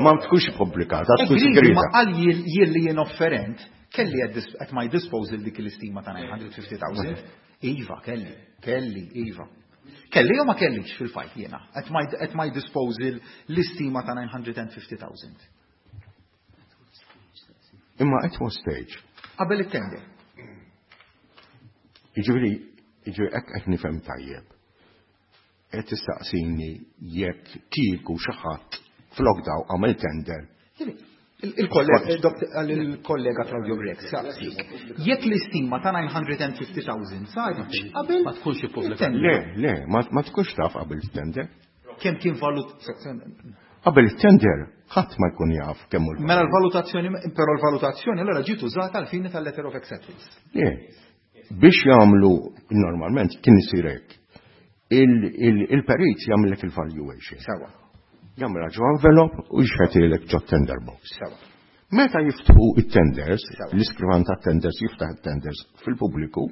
S3: ma tkunx ippubblikata, tkun segreta.
S4: Ma qal jien li jien offerent, kelli at my disposal dik l-istima ta' 950,000. Iva, kelli, kelli, iva. Kelli jew ma kellix fil-fatt jiena, at my disposal l-istima ta' 950,000.
S3: Imma at what stage?
S4: Qabel it-tender.
S3: Jiġifieri, jiġifieri hekk qed nifhem tajjeb. Qed tistaqsini jekk kieku xi ħadd flok daw għamel tender.
S4: Il-kollega Claudio Grech saqsik, jekk l-istima ta' 950,000 saret qabel
S7: Ma tkunx ippubblikat.
S3: Le, le, ma tkunx taf qabel tender.
S4: Kemm kien valut
S3: Qabel tender ħadd ma jkun jaf kemm hu.
S4: Mela l-valutazzjoni, però l-valutazzjoni allora ġiet użata għal fini tal-letter of acceptance.
S3: Le, biex jagħmlu normalment kien isir hekk. Il-perit jagħmlek il-valuation.
S4: Sewwa.
S3: Jagħmilha ġo envelope u jxetilek ġo tender box.
S4: Sewwa.
S3: Meta jiftħu it-tenders, l-iskrivan ta' tenders jiftaħ it-tenders fil-pubbliku,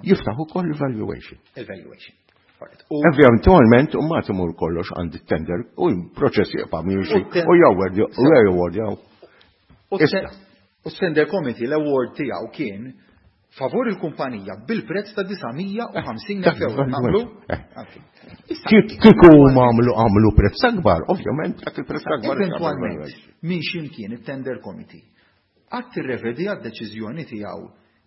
S3: jiftaħ ukoll il-valuation.
S4: Il-valuation.
S3: Eventualment, u ma timur kollox għand it-tender u l-proċess jibqa' miexi u jaward u jaward.
S4: U tender committee l-award tiegħu kien favur il-kumpanija bil-prezz ta' 950 euro. Naqblu?
S3: Kieku għamlu prezz akbar, ovvjament dak il-prezz akbar.
S4: Eventualment, minn ximkien it-tender committee qatt irrevedi għad-deċiżjoni tiegħu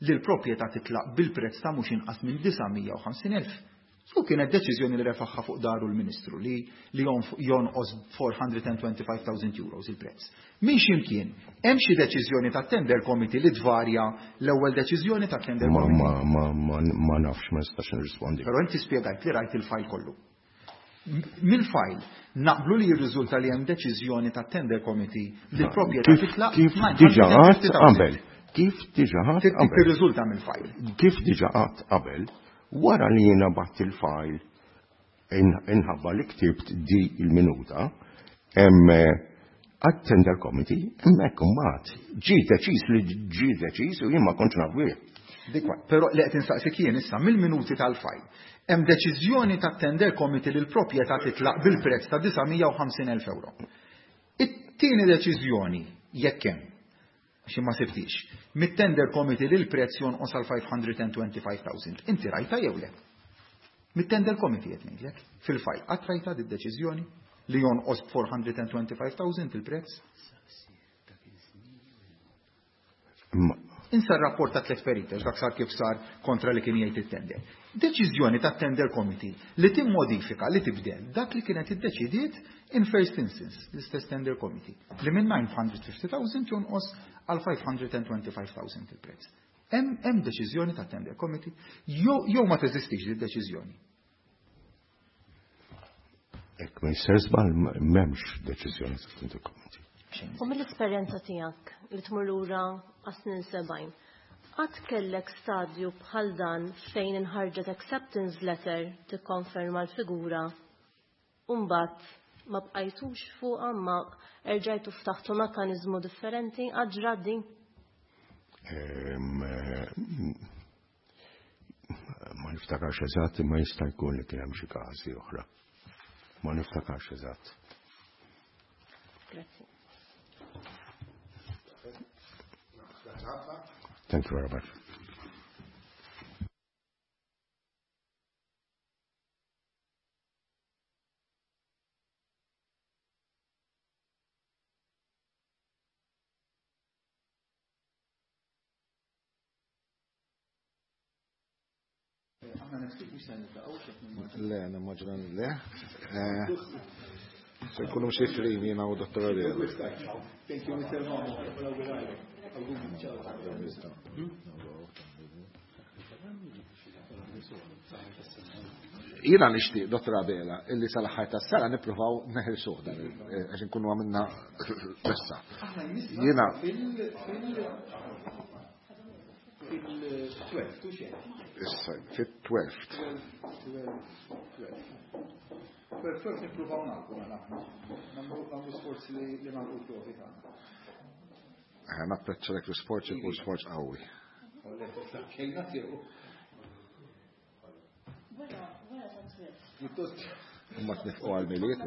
S4: li l-proprjetà titlaq bil-prezz ta' mhux inqas minn 950,000. U kienet deċiżjoni li refaħħa fuq daru l-Ministru li jonqos 425,000 euros il-prezz. Minn ximkien, hemm xi deċiżjoni ta' tender committee li tvarja l-ewwel deċiżjoni ta' tender committee?
S3: Ma nafx, ma nistax nirrispondi.
S4: Però inti spjegajt li rajt il-fajl kollu. Mill-fajl naqblu li jirriżulta li hemm deċiżjoni ta' tender committee li l-proprjetà titlaq
S3: kif diġà għadt qabel. Kif diġà għadt qabel.
S4: Tirriżulta mill-fajl.
S3: Kif diġà għadt qabel, wara li jiena bgħatt il-fajl inħabba li ktibt di il-minuta, hemm għat-tender committee, hemmhekk imbagħad ġie deċiż li ġie deċiż u jien ma kontx naf bih.
S4: Dik però li qed insaqsik jien issa mill-minuti tal-fajl. Hemm deċiżjoni tat-tender committee li l-proprjetà titlaq bil-prezz ta' 950,000 euro. It-tieni deċiżjoni jekk hemm, għax ma sibtix, mit-tender committee li l-prezz jonqos għal 525,000. Inti rajta jew le? Mit-tender committee qed ngħidlek, fil-fajl qatt rajta di deċiżjoni li jonqos 425,000 il-prezz? Insa r-rapport ta' tliet periti, għax dak sar kif sar kontra li kien jgħid it-tender. Deċiżjoni ta' tender committee li timmodifika, li tibdel dak li kienet iddeċidiet in first instance, l-istess tender committee, li minn 950,000 jonqos għal 525,000 il-prezz. Hemm deċiżjoni ta' tender committee jew ma teżistix di deċiżjoni.
S3: Ek ma jisser żball m'hemmx deċiżjoni ta' tender committee.
S6: U mill-esperjenza tiegħek li tmur lura għas-snin 70, qatt kellek stadju bħal dan fejn inħarġet acceptance letter tikkonferma l-figura u mbagħad ma bqajtux fuqha ma erġajtu ftaħtu mekkaniżmu differenti għad ġrat din?
S3: Ma niftakarx eżatt, imma jista' jkun li kien hemm xi każi oħra. Ma niftakarx eżatt.
S6: Grazzi.
S3: Thank you very much.
S2: Le, nimmaġina li le. Se nkunu msifrin jiena u Dottor Ariel.
S4: Thank you, Mr. Mamo.
S2: Jiena nixtieq, Dottor Abela, illi sal-aħħar tas-sena nippruvaw neħilsuh dan, għax inkunu għamilna issa. Jiena
S4: fil-12, tu xejn.
S2: Issa, fit-12.
S4: 12 nippruvaw nagħlqu mela aħna. Nagħmlu sforzi li nagħlqu l-provi tagħna.
S2: Napprezza dak l-isforz ikun sforz qawwi. Imma tnifqu għal-miliet.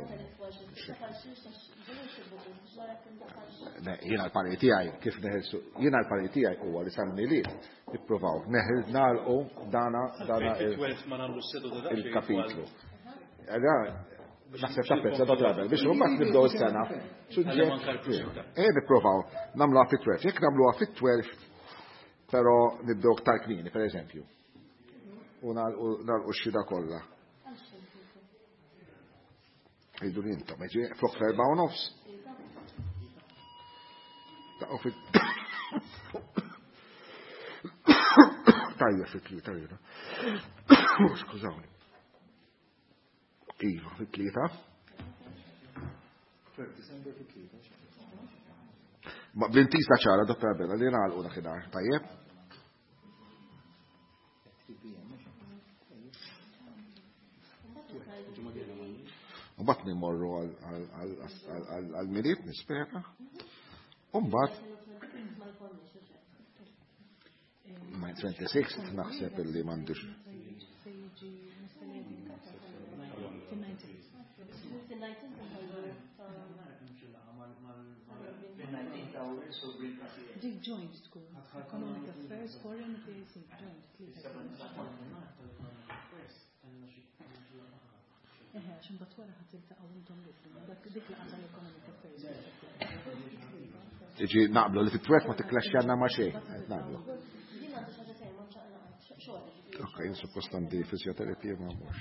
S2: Jiena l-pari tiegħi kif neħilsu, jiena l-pari tiegħi huwa li sal-miliet nippruvaw neħil nagħlqu dana dana il-kapitlu. Naħseb tapprezza dak l-qabel biex imbagħad nibdew is-sena. Suġġett. Eh nippruvaw nagħmluha fit-12. Jekk nagħmluha fit-12, però nibdew iktar kmieni, pereżempju. U nagħlqu x-xhieda kollha. Idu li intom, flok f'4:30. Taqgħu fit Tajja fit-3 jiena. Skużawni. Iva, fit-3. Ma bl-intiża ċara, Dottor Abela, li nagħlqu dakinhar, tajjeb? U mbagħad nimorru għal-miliet nispera. U mbagħad ma 26 naħseb illi m'għandux.
S1: Dik joint tkun. Economic Affairs, Foreign Affairs, joint. Eħe, għax imbagħad wara ħadd tiltaqgħu intom dik laqgħa tal-Economic Affairs.
S2: Iġi naqblu li fit-12 ma tikklaxxjanna ma' xejn, qed naqblu. Ok, jien suppost għandi fisioterapija ma mhux.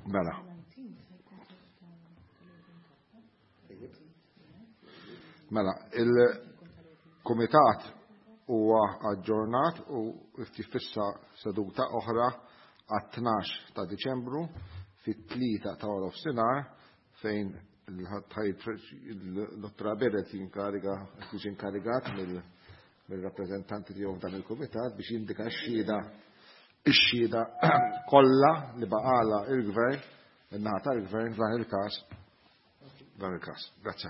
S2: Mela. Mela, il-Kumitat huwa aġġornat u tifissa seduta oħra għat-12 ta' Diċembru fit-3 ta' nofsinhar fejn il-Dottor Aberet jinkariga, jiġi inkarigat mill-rappreżentanti tiegħu f'dan il-kumitat biex jindika x-xhieda ix-xhieda kollha li baqala il-gvern, in-naħa tal-gvern f'dan il-każ. Dan il-każ. Grazzi.